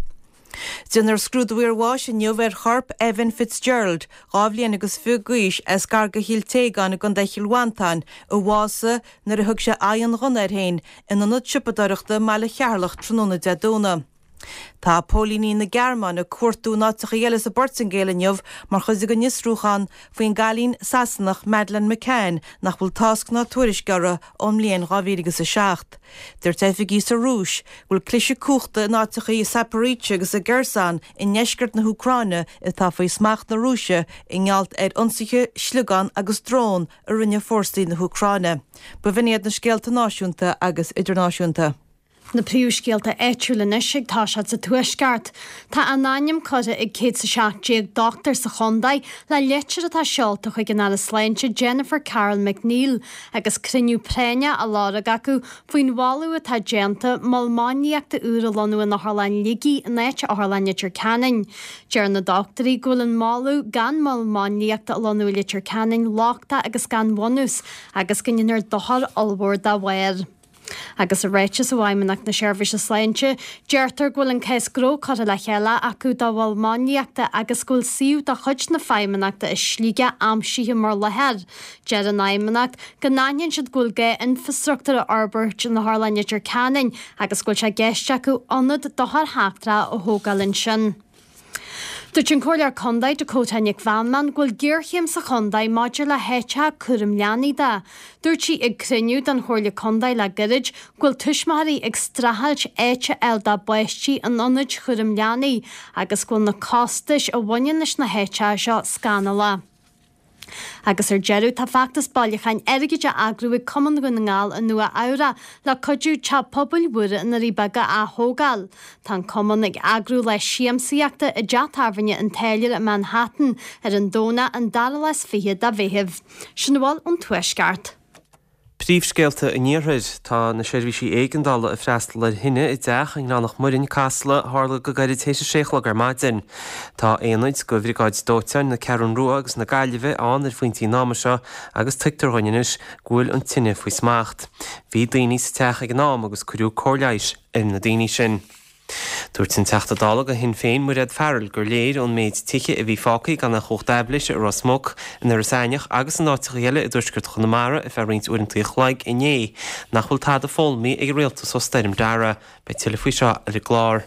Déanfar scrúdú iarbháis inniu ar chorp Evan Fitzgerald, dhá bhliain agus fiche d'aois, as gar do Chill Téagáin i gContae Chill Mhantáin, a bhásaigh nuair a thug sé aghaidh an ghunna air féin in ionad siopadóireachta i mbaile Cheatharlach tráthnóna Dé Domhnaigh. Tá póilíní na Gearmáine ag cuartú in áiteacha eile sa bPortaingéil inniu mar chuid den fhiosrúchán faoin gcailín Sasanach Madeleine McCann nach bhfuil tásc ná tuairisc uirthi ón mbliain dhá mhíle agus a seacht. Dúirt oifigigh sa Rúis go bhfuil cliseadh cumhachta in áiteacha i Zaporizhzhia agus i gCherson i ndeisceart na hÚcráine atá faoi smacht na Rúise i ngeall ar ionsaithe sliogán agus drón a rinne fórsaí na hÚcráine. B'in iad na scéalta náisiúnta agus idirnáisiúnta. Na príomhscéalta áitiúla anois ag toiseacht sa Tuaisceart. Tá a n-ainm curtha ag céad is a seacht déag dochtúir sa chontae le litir atá seolta chuig an Aire Sláinte Jennifer Carroll MacNeill agus cruinniú práinneach á lorg acu faoin mholadh atá déanta mol máinliachta úr a lonnú in Otharlann Shligigh in áit Otharlann Leitir Ceanainn. Deir na dochtúirí go bhfuil an moladh gan mol máinliachta a lonnú i Leitir Ceanainn lochtach agus gan bhunús agus go ndéanfar dochar ollmhór dá bharr. Agus i ráiteas ó Fheidhmeannacht na Seirbhíse Sláinte, deirtear go bhfuil an cás gnó curtha le chéile acu dá mhol máinliachta agus go bhfuil suíomh de chuid na Feidhmeannachta i Sligeach aimsithe mar láthair. Deir an Fheidhmeannacht go n-aithníonn siad go bhfuil gá infreastruchtúr a fhorbairt in Otharlann Leitir Ceanainn agus go bhfuil sé i gceist acu ionad d'othair sheachtracha a thógáil ansin. Dúirt an Comhairleoir Contae Dakota Nic Mheanman go bhfuil géarchéim sa chontae maidir le háiteacha cúram leanaí de. Dúirt sí ag cruinniú den Chomhairle Contae le gairid go bhfuil tuismitheoirí ag streachailt áit a fháil dá bpáistí in ionaid chúram leanaí agus go bhfuil na costais a bhaineann leis na háiteacha seo scannalach. Agus ar deireadh, tá feachtas bailiúcháin airgid á eagrú ag Cumann Dhún na nGall i Nua Eabhrac le cuidiú Teach Pobail Mhúire i nDoirí Beaga a ath-thógáil. Tá an Cumann ag eagrú lá siamsaíochta i dteach tábhairne an Táilliúra i Manhattan ar an Domhnach an dara lá is fiche de Mheitheamh. Sin a bhfuil ón Tuaisceart. Príomhscéalta an Iarthair. Tá na seirbhísí éigeandála ag freastal ar thine i dteach i nGleann Muirinn, Casla, a tharla go gairid théis a sé a chlog ar maidin. Tá aonaid de Bhriogáid Dóiteáin na Ceathrún Rua agus na Gaillimhe ann ar phointí an ama seo agus tuigtear dhúinn anois go bhfuil an tine faoi smacht. Bhí daoine sa teach ag an am agus cuireadh cóir leighis ar na daoine sin. Dúirt an Teachta Dála do Shinn Féin Mairéad Farrell gur léir ón méid tithe a bhí fágtha gan aon chumhacht aibhléise i Ros Muc, in Iorras Aithneach agus in áiteacha eile i dtuaisceart Chonamara ar feadh roinnt uaireanta an chloig inné nach bhfuil tada foghlamtha ag an rialtas ó Stoirm Dara. Beidh tuilleadh faoi seo ar an gclár.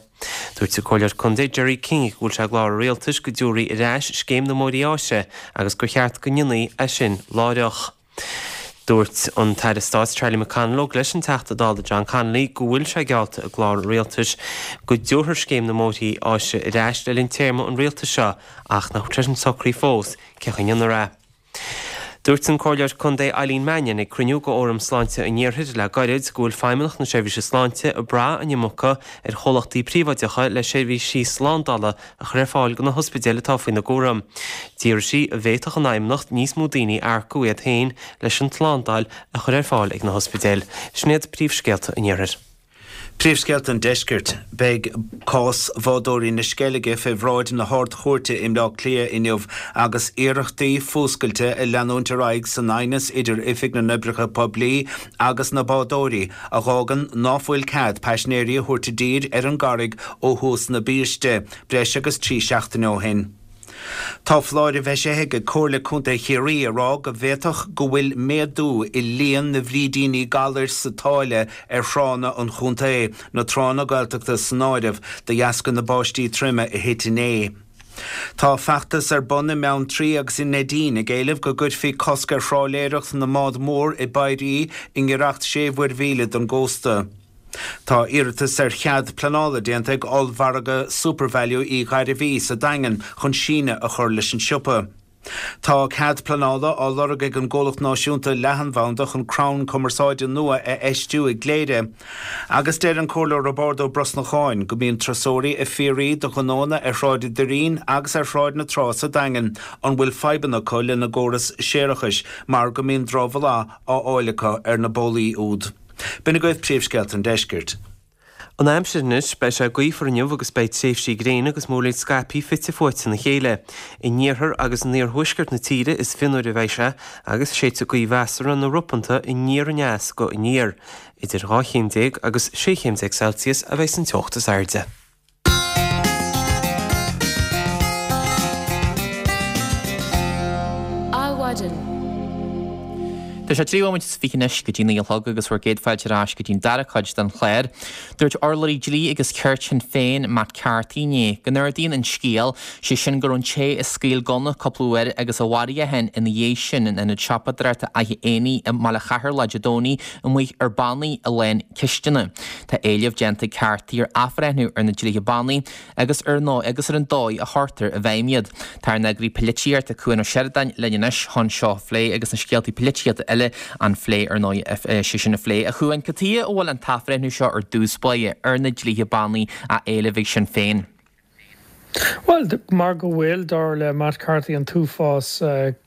Dúirt an Comhairleoir Contae Gerry King go bhfuil sé i gclár an rialtais go dtabharfaí ar ais scéim na mbóithrí áise agus gur cheart go ndéanfaí é sin láithreach. Dúirt an tAire Stáit Charlie McConalogue leis an Teachta Dála John Connolly go bhfuil sé geallta i gclár an rialtais go dtabharfar scéim na mbóithrí áise ar ais le linn téarma an rialtais seo ach nach bhfuil sé sin socraithe fós cén chaoi a ndéanfar é. Dúirt an Comhairleoir Contae Eileen Mannion ag cruinniú de Fhóram Sláinte an Iarthair le gairid go bhfuil Feidhmeannacht na Seirbhíse Sláinte ag brath an iomarca ar chomhlachtaí príobháideacha le seirbhísí slándála a chur ar fáil do na hospidéil atá faoina gcúram. D'fhiafraigh sí an bhféadfadh an Fheidhmeannacht níos mó daoine a earcú iad féin leis an tslándáil a chur ar fáil ag na hospidéil. Sin iad príomhscéalta an Iarthair. Príomhscéalta an Deiscirt. Beidh cás bhádóirí na Sceilge fé bhráid na hArd-Chúirte i mBleá Cliath inniu agus iarrachtaí fuascailte ag leanúint ar aghaidh san aighneas idir Oifig na nOibreacha Poiblí agus na bádóirí a dh'fhágann ná fuil cead paisinéirí a thabhairt i dtír ar an gCarraig ó thús na biaiste, breis agus trí seachtaine ó shin. Tá foláireamh eisithe ag Comhairle Contae Chiarraí ag rá go bhféadfadh go bhfuil méadú i líon na bhfrídíní galair sa tsáile ar thránna an chontae, na tránna Gaeltachta san áireamh, de dheasca na báistí troime a thit inné. Tá feachtas ar bun i mBeanntraí agus i Neidín ag éileamh go gcuirfí cosc ar thrálaeireacht na mbád mór i bpéirí i ngiorracht sé mhuirmhíle don gcósta. Tá iarratas ar chead pleanála déanta ag ollmhargadh SuperValu Uí Ghairbhí sa Daingean chun síneadh a chur leis an siopa. Tá cead pleanála á lorg ag an gcomhlacht náisiúnta leathanbhanda chun crann cumarsáide nua a fheistiú i gCléire. Agus deir an Comhairleoir Roibeárd Ó Brosnacháin go mbíonn turasóirí ag fiafraí de ghnónna ar Shráid an Doirín agus ar Shráid na Trá sa Daingean an bhfuil fadhbanna acu lena gcóras séarachais mar go mbíonn drochbholadh á fháil acu ar na bólaí úd. B'in agaibh príomhscéalta an deiscirt. An aimsir anois, beidh sé gaofar inniu agus beidh tréimhsí gréine agus múraíl scaipthe fite fuaite ina chéile. In iarthar agus in iarthuaisceart na tíre is fionnuaire a bheidh sé agus séidfidh gaoth mheasartha nó ropanta aniar aneas go aniar. Idir dhá chéim déag agus sé chéim déag Celsius a bheidh san teocht is airde. Adhmhaidin. Tá sé trí bhomaite is fiche anois go dtí naoi a chlog agus bhur gcéad fáilte ar ais go dtí'n dara cuid den chlár. Dúirt urlabhraí dlí agus cirt Shinn Féin, Matt Carthy inné, go n-ardaíonn an scéal, sé sin go raibh an té a scaoil gunna cúpla uair agus a mharaigh é féin ina dhiaidh sin in ionad siopadóireachta Fhaiche Éanaigh i mBaile Cheatharlach Dé Domhnaigh amuigh ar bannaí a lán ceisteanna. Tá éileamh déanta ag Carthy ar athbhreithniú ar na dlíthe bannaí agus ar ndóigh agus ar an dóigh a chuirtear i bhfeidhm iad. Tá ár n-eagraí polaitíochta Cuan Ó Seireadáin linn anois chun seo a phlé agus na scéaltaí polaitíochta eile a phlé ar ndóigh sé sin a phlé. A Chuain, cad chuige a bhfuil an t-athbhreithniú seo ar dtús báire ar na dlíthe bannaí á éileamh ag Sinn Féin? Bhuel, mar go bhfuil dar le Matt Carthy an t-uafás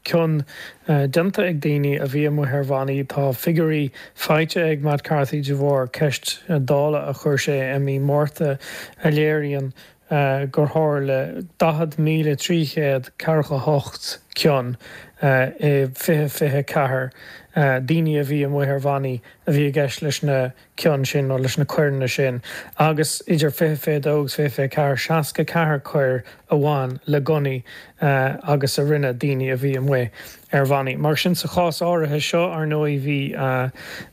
cion déanta ag daoine a bhí amuigh ar bhannaí. Tá figiúirí faighte ag Matt Carthy de bharr ceist Dála a chuir sé i mí Márta a léiríonn gur tharla daichead míle trí chéad ceathracha a hocht cion i fiche fiche ceathair, daoine a bhí amuigh ar bhannaí a bhí i gceist leis na cion sin nó leis na coireanna sin, agus idir fiche fiche dó agus fiche fiche ceathair, seasca ceathair coir a bhain le gunnaí agus a rinne daoine a bhí amuigh ar bhannaí. Mar sin, sa chás áirithe seo, ar ndóigh, bhí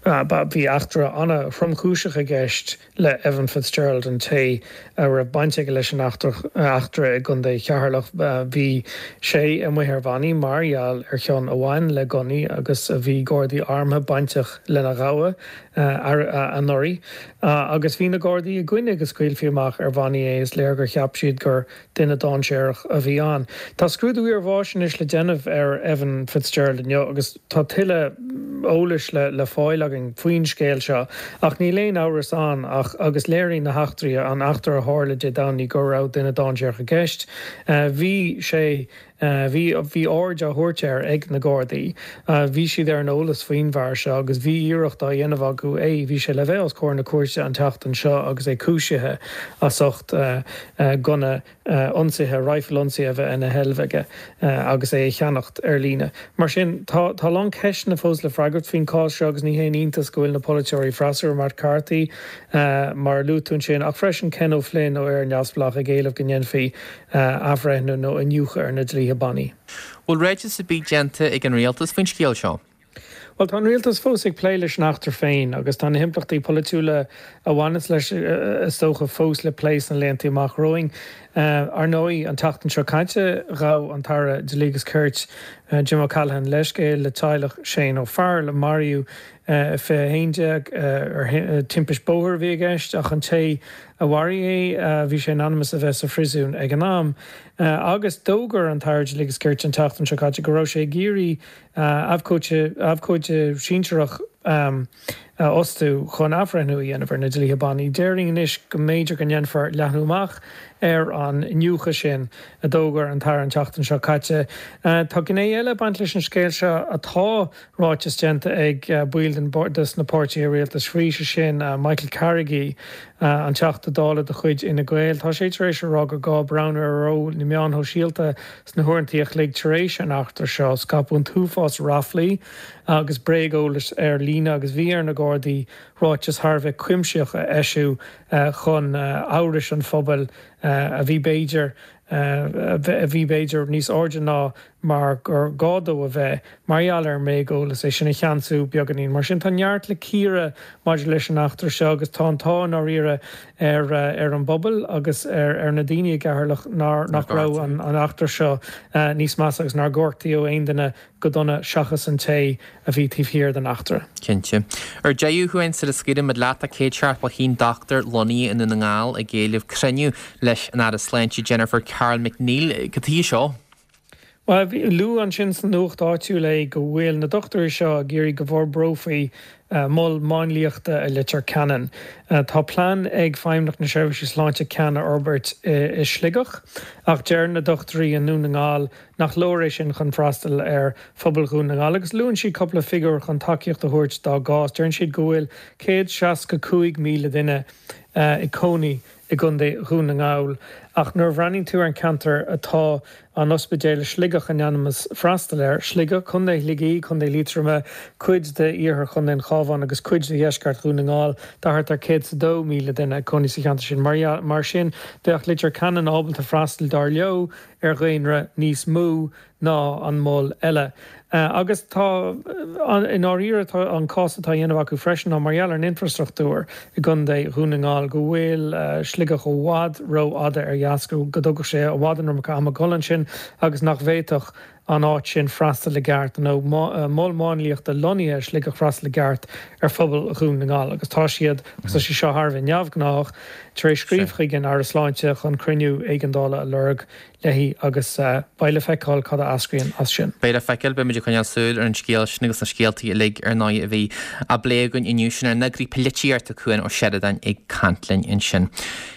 bhí eachtra an-thromchúiseach i gceist le Evan Fitzgerald, an té a raibh baint aige leis an eachtra i gContae Cheatharlach. Bhí sé amuigh ar bhannaí mar gheall ar chion a bhain le gunnaí agus bhí Gardaí armtha bainteach lena ghabhadh anuraidh agus bhí na Gardaí i gcoinne go scaoilfí amach ar bhannaí é, is léir gur cheap siad gur duine dainséarach a bhí ann. Tá scrúdú iarbháis anois le déanamh ar Evan Fitzgerald inniu agus tá tuilleadh eolais le fáil againn faoin scéal seo ach níl aon amhras ann ach agus léiríonn na heachtraí, an eachtra a tharla Dé Domhnaigh go raibh duine dainséarach i gceist. Bhí sé Bhí bhí aird á thabhairt air ag na Gardaí. Bhí siad ar an eolas faoin bhfear seo agus bhí iarracht á dhéanamh acu é. Bhí sé le bheith os comhair na cúirte an tseachtain seo agus é cúisithe as ucht gunna ionsaithe, raidhfil ionsaithe a bheith ina sheilbh aige agus é a cheannacht ar líne. Mar sin, tá tá a lán ceisteanna fós le freagairt faoin chás seo agus ní haon iontas go bhfuil na polaiteoirí freasúra, Matt Carthy, mar a luaigh tú ansin, ach freisin Ken O'Flynn ó Éire Neamhspleách ag éileamh go ndéanfaí athbhreithniú nó iniúchadh ar na dlíthe bannaí. Bhfuil ráiteas ar bith déanta ag an rialtas faoin scéal seo? Bhuel, tá an rialtas fós ag plé leis an eachtra féin agus tá na himpleachtaí polaitiúla a bhaineas leis, is dócha, fós le plé sna laethanta amach romhainn. Ar ndóigh, an tseachtain seo caite, ghabh an tAire Dlí agus Cirt, Jim O'Callaghan, leithscéal le teaghlach Shane O'Farrell, a maraíodh i fiche a haon déag ar timpist bóthair a bhí i gceist ach an té a mharaigh é, bhí sé in ainm is a bheith sa phríosún ag an am. Agus d'fhógair an tAire Dlí agus Cirt an tseachtain seo caite go raibh sé ag iarraidh abhcóide sinsearach a fhostú chun athbhreithniú a dhéanamh ar na dlíthe bannaí. Déarfainn anois go mb'fhéidir go ndéanfar leathnú amach ar an iniúchadh sin, a d'fhógair an tAire an tseachtain seo caite. Tá gné eile ag baint leis an scéal seo atá ráiteas déanta ag baill den des na páirtithe rialtais faoi, sé sin Michael Carrigy, an Teachta Dála de chuid Fhine Gael. Tá sé tar éis a rá gur gá breathnú ar ról na meán shóisialta sna huaireanta a chloig tar éis an eachtra seo. Scaipeadh an t-uafás ráflaí agus bréageolais ar líne agus bhí ar na Gardaí ráiteas thar a bheith cuimsitheach a eisiú chun amhrais an phobail a bhí b'fhéidir a bhí b'fhéidir níos airde ná mar gur gá dó a bheith mar gheall ar an mbréageolas, é sin a cheansú beagáinín. Mar sin tá neart le cíoradh maidir leis an eachtra seo agus tá an t-ádh i ndáiríre ar ar an bpobal agus ar ar na daoine i gCeatharlach nár nach raibh an an eachtra seo níos measa agus nár gortaíodh aon duine go dona seachas an té a bhí taobh thiar den eachtra. Cinnte. Ar deireadh, a Chuain, sula scaoilimid leat, tá céad seachtó a haon dochtúir lonnaithe i nDún na nGall ag éileamh cruinniú leis an Aire Sláinte Jennifer Carroll MacNeill. Cad chuige seo? Bhuel, luadh ansin sa nuacht áitiúil é go bhfuil na dochtúirí seo ag iarraidh go bhforbrófaí mol máinliachta i Leitir Ceanainn. Tá plean ag Feidhmeannacht na Seirbhíse Sláinte ceann a fhorbairt i Sligeach, ach deir na dochtúirí i nDún na nGall nach leor é sin chun freastal ar phobal Dhún na nGall agus luann siad cúpla figiúr chun tacaíocht a thabhairt dá gcás. Deireann siad go bhfuil céad seasca cúig míle duine ag cónaí i gContae Dhún na nGall ach nuair a bhreathnaíonn tú ar an cheantar atá an ospidéal i Sligeach in ainm is freastal air, Sligeach, Contae Shligigh, Contae Liatroma, cuid de iarthar Chontae an Chabháin agus cuid de dheisceart Dhún na nGall, tá thart ar céad is a dó míle duine ag cónaí sa cheantar sin. Mar sin, bheadh Leitir Ceanainn ábalta freastal, dar leo, ar dhaonra níos mó ná an mol eile. Agus tá, i ndáiríre, tá an cás atá á dhéanamh acu freisin ná mar gheall ar an infreastruchtúr i gContae Dhún na nGall, go bhfuil Sligeach i bhfad rófhada ar dheas, go dtógfadh sé i bhfad an iomarca ama dul ansin agus nach bhféadfadh an áit sin freastal i gceart, nó mol máinliachta lonnaithe i Sligeach freastal i gceart ar phobal Dhún na nGall. Agus tá siad, agus tá sé seo thar a bheith neamhghnách, tar éis scríobh chuig an Aire Sláinte chun cruinniú éigeandála a lorg léi agus beidh le feiceáil cad a eascraíonn as sin. Beidh le feiceáil, beimid ag coinneáil súil ar an scéal sin agus na scéaltaí uilig ar ndóigh a bhí á bplé againn inniu. Sin ár n-eagraí polaitíochta Cuan Ó Seireadáin ag caint linn ansin.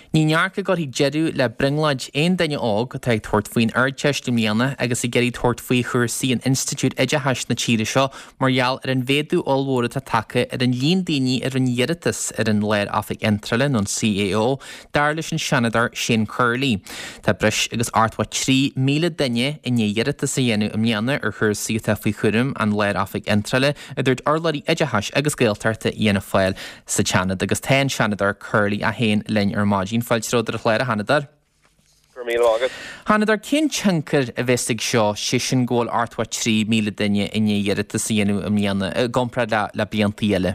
Ní neart go gcuirfidh deireadh le brionglóid aon duine óg atá ag tabhairt faoin Ardteist i mbliana agus ag iarraidh tabhairt faoi chúrsaí in institiúid oideachais na tíre seo mar gheall ar an mhéadú ollmhór atá tagtha ar an líon daoine a rinne iarratas ar an Lár-Oifig Iontrála nó an CAO, dar leis an Seanadóir Shane Curley. Tá breis agus ochtó trí míle duine i ndiaidh iarratas a dhéanamh i mbliana ar chúrsaí atá faoi chúram an Lár-Oifig Iontrála, a dúirt urlabhraí oideachais agus Gaeltachta Fhianna Fáil sa tSeanad agus tá an Seanadóir Curley é féin linn ar maidin. Fáilte romhat ar an chlár, a Sheanadóir. Go raibh míle maith agat. A Sheanadóir, cén tionchar a bheas ag seo, sé sin go bhfuil ochtó trí míle duine i ndiaidh iarratas a dhéanamh i mbliana, i gcomparáid le le blianta eile?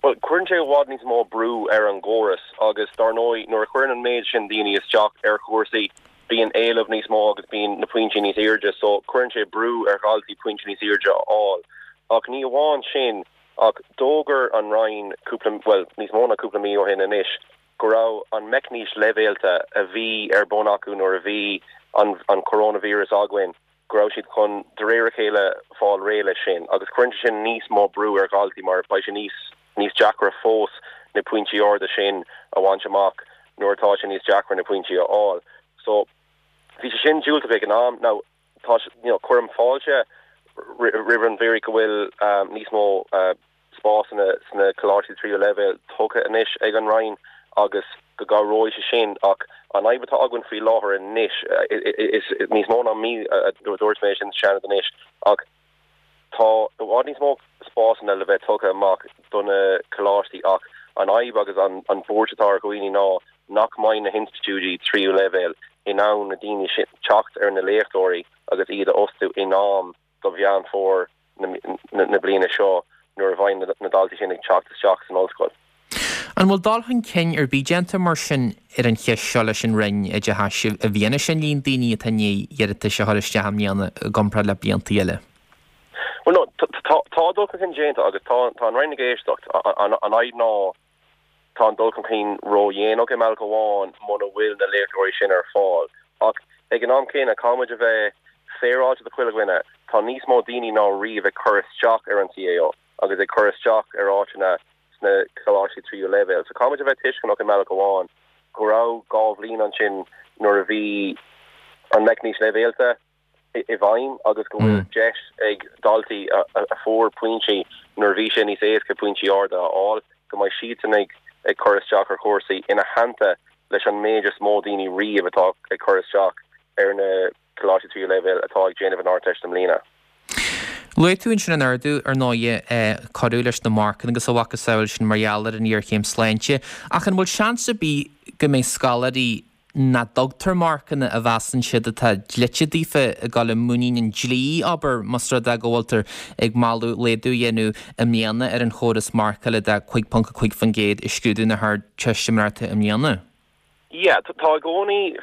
Bhuel, cuireann sé i bhfad níos mó brú ar an gcóras agus dar ndóigh nuair a chuireann an méid sin daoine isteach ar chúrsaí bíonn éileamh níos mó agus bíonn na pointí níos airde so cuireann sé brú ar dhaltaí pointí níos airde a fháil. Ach ní amháin sin ach d'fhógair an Roinn cúpla, bhuel níos mó ná cúpla mí ó shin anois, go raibh an meicníocht leibhéalta a bhí ar bun acu nuair a bhí an an coronavirus againn, go raibh siad chun de réir a chéile fáil réidh leis sin agus cuireann sé sin níos mó brú ar dhaltaí mar beidh sé níos níos deacra fós na pointí arda sin a bhaint amach nuair atá sé níos deacra na pointí a fháil. So bhí sé sin diúltach ag an am. Now tá you know cuirim fáilte roimh an bhfíric go bhfuil níos mó spásanna sna coláistí tríú leibhéal tugtha anois ag an Roinn agus go gcabhróidh sé sin ach an fhadhb atá againn faoi láthair anois, is níos mó ná mí a dúirt mé sin sa Seanad anois ach tá i bhfad níos mó spásanna le bheith tugtha amach do na coláistí ach an fhadhb agus an bhuairt atá ar dhaoine ná nach mbeidh na hinstitiúidí tríú leibhéal in ann na daoine sin teacht ar na léachtóirí agus iad a fhostú in am do Mheán Fómhair na bliana seo nuair a bheidh na daltaí sin ag teacht isteach san ollscoil. An bhfuil dul chun cinn ar bith déanta mar sin ar an cheist seo leis an Roinn Oideachais i bhfianaise an líon daoine atá i ndiaidh iarratais a chur isteach i mbliana i gcomparáid le blianta eile? Bhuel no, tá dul chun cinn déanta agus tá an Roinn ag éisteacht. An fhadhb ná tá an dul chun cinn ródhéanach i mbealach amháin muna bhfuil na léachtóirí sin ar fáil. Ach ag an am céanna, caithfidh muid a bheith féaráilte do chuile dhuine, tá níos mó daoine ná riamh ag cur isteach ar an CAO agus ag cur isteach ar áiteanna sna coláistí tríú leibhéal. So caithfidh muid a bheith tuisceanach i mbealach amháin go raibh dhá bhliain ansin nuair a bhí an meicníocht leibhéalta i bhfeidhm agus go bhfuil deis ag daltaí a fuair pointí nuair a bhí sé níos éasca pointí arda a fháil, go mbeidh siadsan ag ag cur isteach ar chúrsaí ina theannta leis an méid is mó daoine riamh atá ag cur isteach ar na coláistí tríú leibhéal atá ag déanamh an Ardteist i mbliana. Luaigh tú ansin an ardú, ar ndóighe, a cuireadh leis na marcanna agus a mhacasamhail sin mar gheall ar an ngéarchéim sláinte, ach an bhfuil seans ar bith go mbeidh scoláirí nach dtugtar marcanna a mheasann siad atá dlite daofa ag dul i muinín an dlí, abair, más rud é go bhfuiltear ag moladh laghdú a dhéanamh i mbliana ar an chóras marcála de cúig ponc a cúig faoin gcéad i scrúdú na hArdteistiméireachta i mbliana? Yeah, tá i gcónaí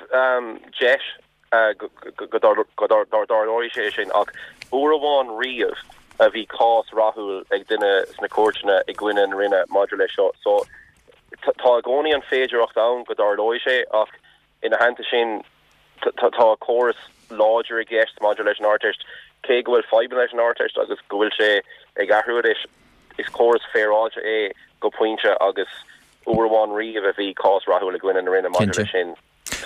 deis go dtarlóidh sé sin ach uair amháin riamh a bhí cás rathúil ag duine sna cúirteanna i gcoinne na Roinne maidir leis seo. So tá i gcónaí an féidearthacht ann go dtarlóidh sé ach ina theannta sin tá córas láidir i gceist maidir leis an Ardteist. Cé go bhfuil fadhbanna leis an Ardteist agus go bhfuil sé ag athrú anois, is córas féaráilte é go pointe agus uair amháin riamh a bhí cás rathúil i gcoinne na Roinne maidir leis sin.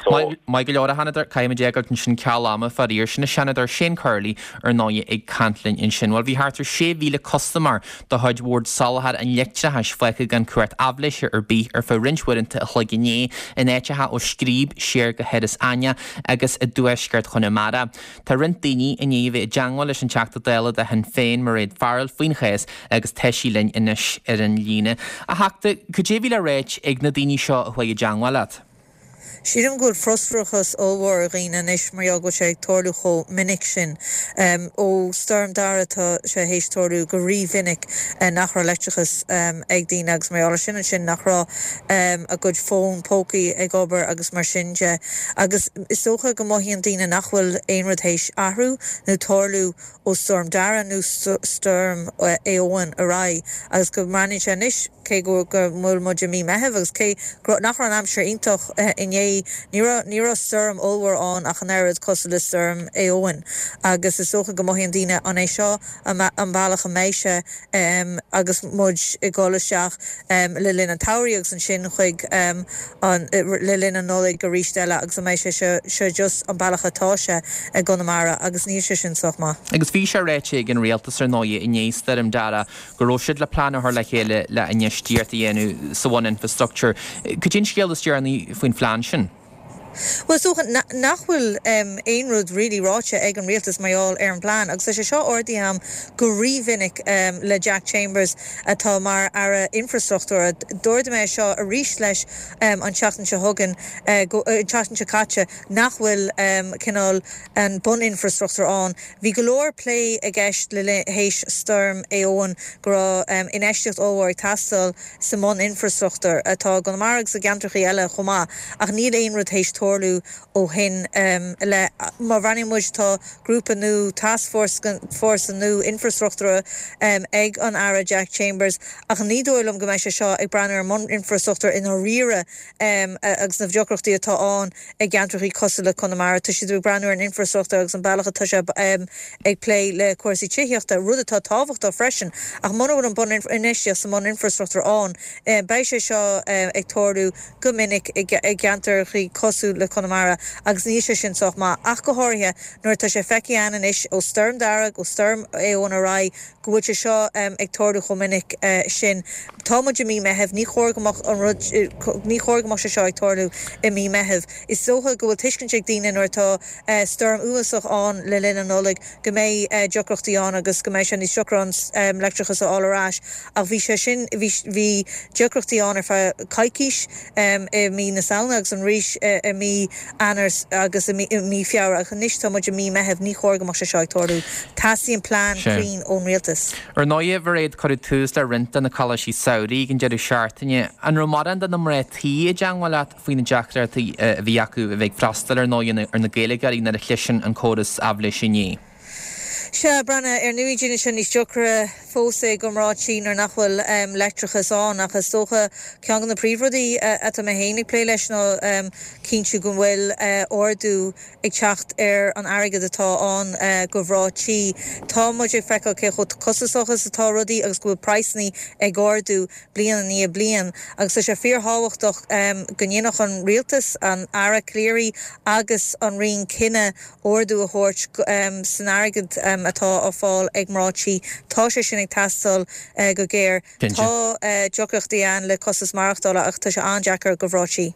So. Maith go leor, a Sheanadóir, caithfidh muid é a fhágáilt ansin ceal ama, faraor. Sin an Seanadóir Shane Curley, ar ndóighe, ag caint linn ansin. Bhuel, bhí thart ar sé mhíle custaiméir de chuid Bhord Soláthair an Leictreachais fágtha gan cumhacht aibhléise ar bith ar feadh roinnt uaireanta a chloig inné, in áiteacha ó Scríb siar go hIorras Aithneach agus i dtuaisceart Chonamara. Tá roinnt daoine i ndiaidh a bheith i dteangmháil leis an Teachta Dála de Shinn Féin, Mairéad Farrell, faoin chás agus tá sí linn anois ar an líne. A Theachta, cad é a bhí le ráit ag na daoine seo a chuaigh i dteangmháil leat? Sílim go bhfuil frustrachas ollmhór ar dhaoine anois mar gheall go bhfuil sé ag tarlú chomh minic sin. Ó Stoirm Dara tá sé théis tarlú go rí-mhinic nach raibh leictreachas ag daoine agus mar gheall ar sin ansin nach raibh a gcuid fón pócaí ag obair agus mar sin de. Agus is dócha go mothaíonn daoine nach bhfuil aon rud théis athrú nó tarlú ó Stoirm Dara nó Stoirm Éowyn ar aghaidh agus go mbreathnaíonn sé anois cé go bhfuil muid i mí Meithimh agus cé nach raibh an aimsir iontach inné Inné ní raibh ní raibh stoirm ollmhór ann ach an oiread cosúil le stoirm Éowyn agus is dócha go mothaíonn daoine an é seo an bealach a mbeidh sé agus muid ag dul isteach le linn an tsamhraidh agus ansin chuig an le linn an Nollaig arís eile agus an mbeidh sé seo seo just an bealach atá sé i gConamara agus níl sé sin sách maith. Agus bhí sé ráite ag an rialtas ar ndóigh i ndiaidh Stoirm Dara go raibh siad le plean a chur le chéile le infheistíocht a dhéanamh sa bhun-infrastructúr. Cad é an scéal is deireanaí faoin phlean sin? Bhuel, is dócha nach bhfuil aon rud really ráite ag an rialtas mar gheall ar an bplean agus tá sé seo ardaithe agam go rímhinic le Jack Chambers atá mar Aire Infrastruchtúra. D'ardaigh mé é seo arís leis an tseachtain seo chugainn, an tseachtain seo caite, nach bhfuil cineál an bun-infrastruchtúr ann. Bhí go leor plé i gceist le théis Stoirm Éowyn go raibh infheistíocht ollmhór ag teastáil sa mbun-infrastruchtúr atá i gConamara agus i gceantracha eile chomh maith ach níl aon rud théis tarlú ó shin i leith. Má bhreathnaíonn muid tá grúpa nua, tascfhórsa nua infrastruchtúra ag an Aire Jack Chambers ach ní dóigh liom go mbeidh sé seo ag breathnú ar an mbun-infrastruchtúr i ndáiríre agus na deacrachtaí atá ann i gceantracha cosúil le Conamara. Tá siad ag breathnú ar an infrastruchtúr agus an bealach atá sé ag plé le cúrsaí tithíochta, rud atá tábhachtach freisin ach muna bhfuil an bun-infheistíocht sa mbun-infrastruchtúr ann beidh sé seo ag tarlú go minic i gceantracha cosúil le Conamara agus níl sé sin sách maith, ach go háirithe nuair atá sé feicthe againn anois ó Stoirm Dara go Stoirm Éowyn ar aghaidh go bhfuil sé seo ag tarlú chomh minic sin. Tá muid i mí Meithimh, ní chóir go mbeadh an rud, ní chóir go mbeadh sé seo ag tarlú i mí Meithimh. Is dócha go bhfuil tuiscint ag daoine nuair atá stoirm uafásach ann le linn an Nollaig go mbeidh deacrachtaí ann agus go mbeidh sé níos deacra an leictreachas a fháil ar ais ach bhí sé sin, bhí, bhí deacrachtaí ann ar feadh coicís i mí na Samhna agus arís i mí Eanáir agus i mí Feabhra ach anois tá muid i mí Meithimh, ní chóir go mbeadh sé seo ag tarlú. Teastaíonn plean cruinn ón rialtas. Ar ndóigh, a Mhairéad, cuireadh tús le roinnt de na coláistí samhraidh ag an deireadh seachtaine. An raibh mórán de na mná tí i dteangmháil leat faoi na deacrachtaí a bhí acu a bheith ag freastal ar ndóigh ar na Gaeilgeoirí nuair a chlis an córas aibhléise inné? Sea, Breandán, ar ndóigh déanann sé níos deacra fós é do mhná tí nuair nach bhfuil leictreachas ann ach is dócha ceann de na príomhrudaí atá mé féin ag plé leis ná cinntiú go bhfuil ardú ag teacht ar an airgead atá ann do mhná tí. Tá muid ag feiceáil cé chomh costasach is atá rudaí agus go bhfuil praghsanna ag ardú bliain i ndiaidh bliain agus tá sé fíorthábhachtach go ndéanfadh an rialtas, an Aire Calleary agus an Roinn cinneadh ardú a thabhairt san airgead atá á fáil ag mná tí. Tá sé sin ag teastáil go géar. Tá deacrachtaí ann le costas maireachtála ach tá sé an-deacair do mhná tí.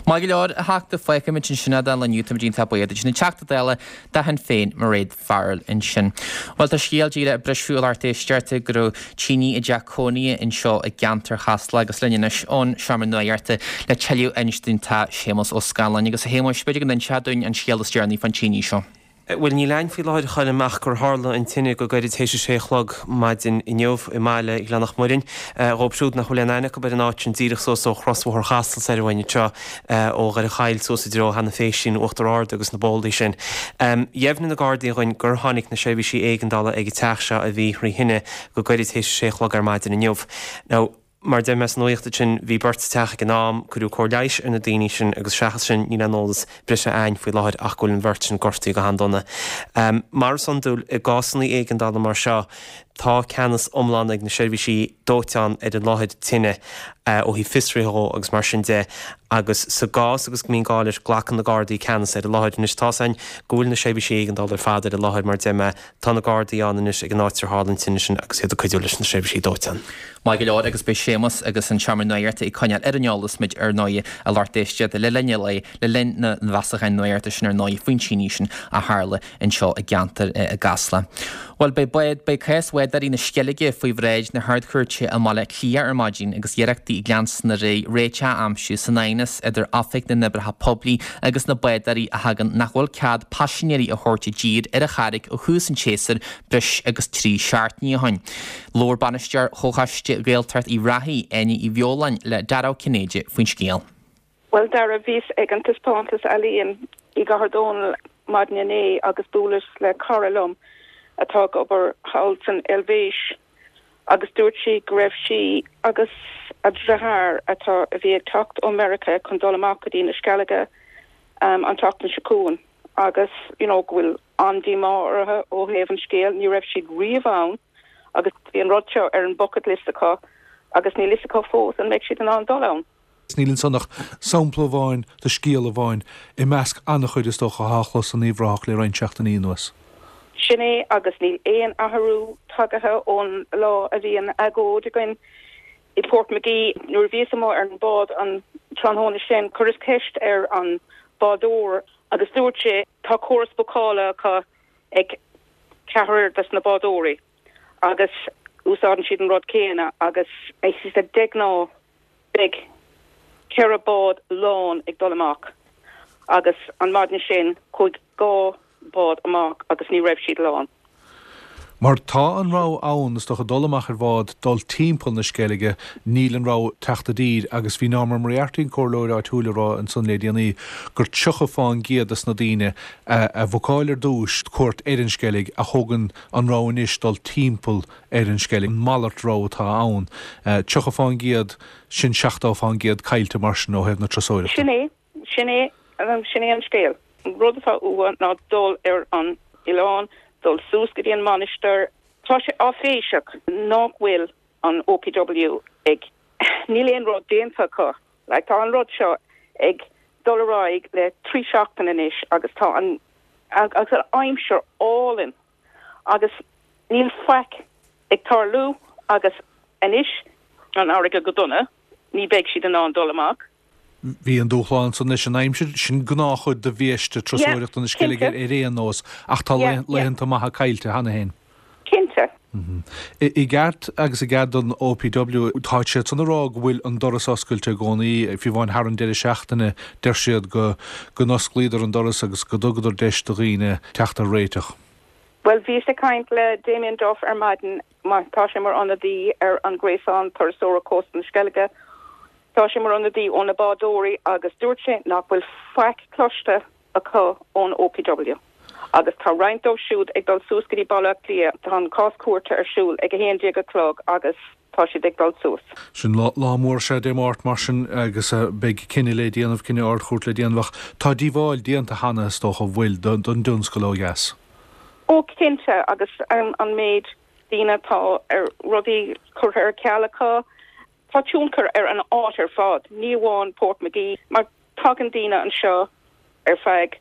Maith go leor, a Theachta, fágfaimid ansin é don lá inniu, táimid iontach buíoch duit. An Teachta Dála do Shinn Féin, Mairéad Farrell ansin. Bhuel, tá scéal díreach ag briseadh a lucht éisteachta go raibh tine i dteach cónaithe anseo i gceantar Chasla agus linn anois ón seomra nuachta le tuilleadh a insint dúinn tá Séamus Ó Scanláin. Agus a Shéamuis, b'fhéidir go n-inseofá dúinn an scéal is deireanaí fán tine seo. Bhuel, níl a'inn faoi láthair a Choilm ach gur tharla an tine go gairid théis a sé a chlog maidin inniu i mbaile Ghleann Muirinn. Dhóibh siúd nach bhfuil aon aithne acu ar an áit sin díreach suas ó chrosbhóthar Chasla soir uainn anseo, ó Dhoire Chaill suas i dtreo Sheanadh Phéisín, Uachtar Ard agus na bólaí sin. Dheimhnigh na Gardaí dhuinn gur tháinig na seirbhísí éigeandála ag an teach seo a bhí thrí thine go gairid théis a sé a chlog ar maidin inniu. Now, Mar a deir mé sa nuacht ansin, bhí beirt sa teach ag an am, cuireadh cóir leighis ar na daoine sin agus seachas sin níl aon eolas breise a'ainn faoi láthair ach go bhfuil an bheirt sin gortaithe go han-dona. Mar is iondúil i gcásanna éigeandála mar seo, tá ceannas iomlán ag na seirbhísí dóiteáin ar an láthair tine ó thaobh fiosruithe dhó agus mar sin de agus sa gcás agus go mbíonn gá leis glacann na Gardaí ceannas ar an láthair. Anois tá's a'ainn go bhfuil na seirbhísí éigeandála ar fad ar an láthair mar a deir mé, tá na Gardaí ann anois ag an áit ar tharla an tine sin agus iad ag cuidiú leis na seirbhísí dóiteáin. Maith go leor agus beidh Séamus agus an Seomra Nuachta ag coinneáil ar an eolas muid ar ndóigh a lucht éisteachta le linn an lae, le linn na bhfeasachán nuachta sin ar ndóigh faoin tine sin a tharla anseo i gceantar i gCasla. Bhuel beidh bád, beidh cás bhádóirí na Sceilge faoi bhráid na hArd-Chúirte i mBaile Átha Cliath ar maidin agus iarrachtaí ag leanstan ar aghaidh réiteach a aimsiú san aighneas idir Oifig na nOibreacha Poiblí agus na bádóirí a thagann nach bhfuil cead paisinéirí a thabhairt i dtír ar an Charraig ó thús an tséasúir breis agus trí seachtainí ó shin. Labhair Bainisteoir Chomhchoiste Ghaeltacht Uíbh Ráthaigh, Áine Uí Bheoláin, le Dara Ó Cinnéide faoin scéal. Bhuel Dara, bhíos ag an taispeántas ealaíon i gCathair Dónall maidin inné agus buaileas le cara liom atá ag obair thall san Eilvéis agus dúirt sí go raibh sí agus a deartháir atá a bhí ag teacht ó Meiriceá chun dul amach go dtí na Sceilge um, an tseachtain seo chugainn agus you know, go bhfuil an-díomá orthu ó thaobh an scéil, ní raibh siad riamh ann agus bhí an rud seo ar an bucket list acu agus níl a fhios acu fós an mbeidh siad in ann dul ann. Níl ansan ach sampla amháin de scéal amháin i measc an-chuid is dócha atá á chlos in Uíbh Ráthach le roinnt seachtainí anuas. Sin é agus níl aon athrú tagaithe ón lá a bhí an agóid againn i Portmagee nuair a bhíos amuigh ar an bád an tráthnóna sin chuireas ceist ar an bádóir agus dúirt sé tá córas bookála acu ag ceathrar des na bádóirí agus úsáideann siad an rud céanna agus de ghnáth beidh ceithre bád lán ag dul amach agus an maidin sin chuaigh dhá bád amach agus ní raibh siad lán. Mar tá an rogha ann is dócha dul amach ar bhád, dul timpeall na Sceilge, níl an rogha teacht i dtír agus bhí Norma Moriarty an comhairleoir áitiúil ag rá ansan le déanaí gur tríocha fán gcéad des na daoine a bhookáil ar dtús cuairt ar an Sceilg a thógann an rogha anois dul timpeall ar an Sceilg. An malairt rogha atá ann. Tríocha fán gcéad, sin seachtó fán gcéad caillte mar sin ó thaobh na turasóireachta. Sin é, sin é, sin é an scéal. An rud atá uathu ná dul ar an oileán, dul suas go dtí an mainistir. Tá sé áiféiseach nach bhfuil an OPW ag, níl aon rud déanta acu. Like, tá an rud seo ag dul ar aghaidh le trí seachtain anois agus tá an agus an aimsir álainn agus níl faic ag tarlú agus anois an fharraige go dona, ní bheidh siad in ann dul amach. Bhí an dúshlán san leis an aimsir, sin gnáthchuid de bhiaiste turasóireachta na Sceilge ar aon nós, ach tá laethanta maithe caillte cheana féin. Cinnte. I gceart agus i gcead don OPW, tá siad san ag rá go bhfuil an doras oscailte i gcónaí, fiú amháin thar an deireadh seachtaine, deir siad go go n-osclaíodar an doras agus go dtugadar deis do dhaoine teacht ar réiteach. Bhuel, bhíos ag caint le Damien Duff ar maidin, mar tá sé mar ionadaí ar an Gréasán Turasóra Cósta na Sceilge, Tá sé mar ionadaí ó na bádóirí agus dúirt sé nach bhfuil faic cloiste acu ón OPW. Agus tá roinnt dóibh siúd ag dul suas go dtí Baile Átha Cliath, tá an cás cúirte ar siúl ag a haon déag a chlog agus tá siad ag dul suas. Sin lá mór sea Dé Máirt mar sin agus beidh cinneadh le déanamh, cinneadh Ard-Chúirt le déanamh ach tá díobháil déanta cheana is dócha an bhfuil don dtionscal ó dheas. Ó cinnte agus an méid daoine atá ar rudaí curtha ar ceal acu, Tá tionchar ar an áit ar fad, ní amháin Portmagee, mar tagann daoine anseo ar feadh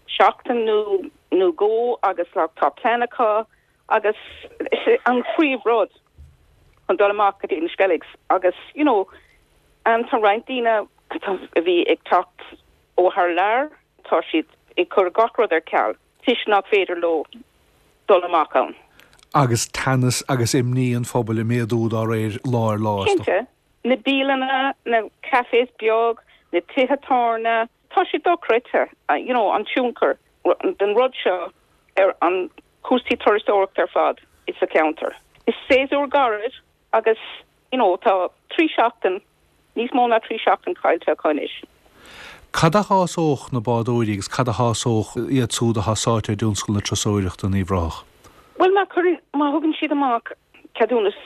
seachtain nó nó dhó agus like tá plean acu agus is é an phríomhrud chun dul amach go dtí na Skelligs agus you know and tá roinnt daoine a bhí ag teacht ó thar lear, tá siad ag cur gach rud ar ceal toisc nach féidir leo dul amach ann. Agus teannas agus imní an phobail ag méadú dá réir lá ar lá, is dócha. Cinnte. Na bialanna, na cafés beag, na tithe tábhairne, tá sé dochreidte, you know, an tionchar den rud seo ar an cúrsaí turasóireachta ar fad sa cheantar. Is séasúr gairid agus, you know, tá trí seachtain, níos mó ná trí seachtain caillte acu anois. Cad a shásódh na bádóirí agus cad a shásódh iad súd atá sáite i dtionscal na turasóireachta in Uíbh Ráthach? Bhuel, má chuireann, má thugann siad amach ceadúnas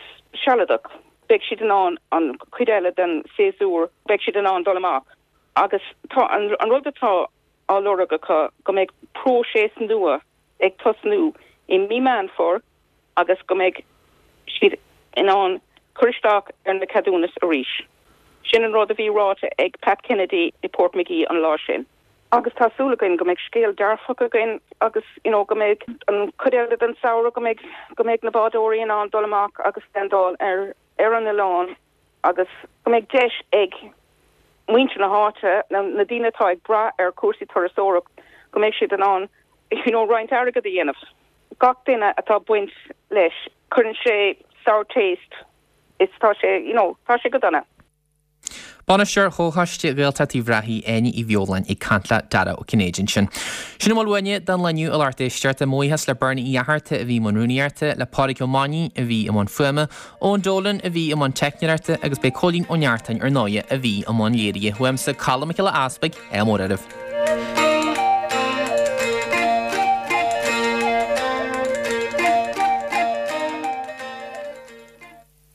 sealadach, beidh siad in ann an chuid eile den séasúr, beidh siad in ann dul amach. Agus tá an, an rud atá á lorg acu go mbeidh próiseas nua ag tosnú i mí Meán Fómhair agus go mbeidh siad in ann cur isteach ar na ceadúnais arís. Sin an rud a bhí ráite ag Pat Kennedy i Portmagee an lá sin. Agus tá súil againn go mbeidh scéal dearfach againn agus you know go mbeidh an chuid eile den samhradh go mbeidh go mbeidh na bádóirí in ann dul amach agus landáil ar ar an oileán agus go mbeidh deis ag muintir na háite, na na daoine atá ag brath ar chúrsaí turasóireacht, go mbeidh siad in ann you know roinnt airgead a dhéanamh. Gach duine atá baint leis, cuireann sé sour taste is tá sé you know tá sé go dona. Bainisteoir Chomhchoiste Ghaeltacht Uíbh Ráthaigh, Áine Uí Bheoláin ag caint le Dara Ó Cinnéide ansin. Sin a bhfuil uainne don lá inniu a lucht éisteachta. Mo bhuíochas le Bernie Uí Fhatharta a bhí i mbun rúnaíochta, le Pádraig Ó Mainnín a bhí i mbun fuaime, Eoin Dolan a bhí i mbun teicneoireachta agus b'é Cóilín Ó Neachtain ar ndóighe a bhí i mbun léirithe. Uaimse Colm Mac Giolla Easpaig, ádh mór oraibh.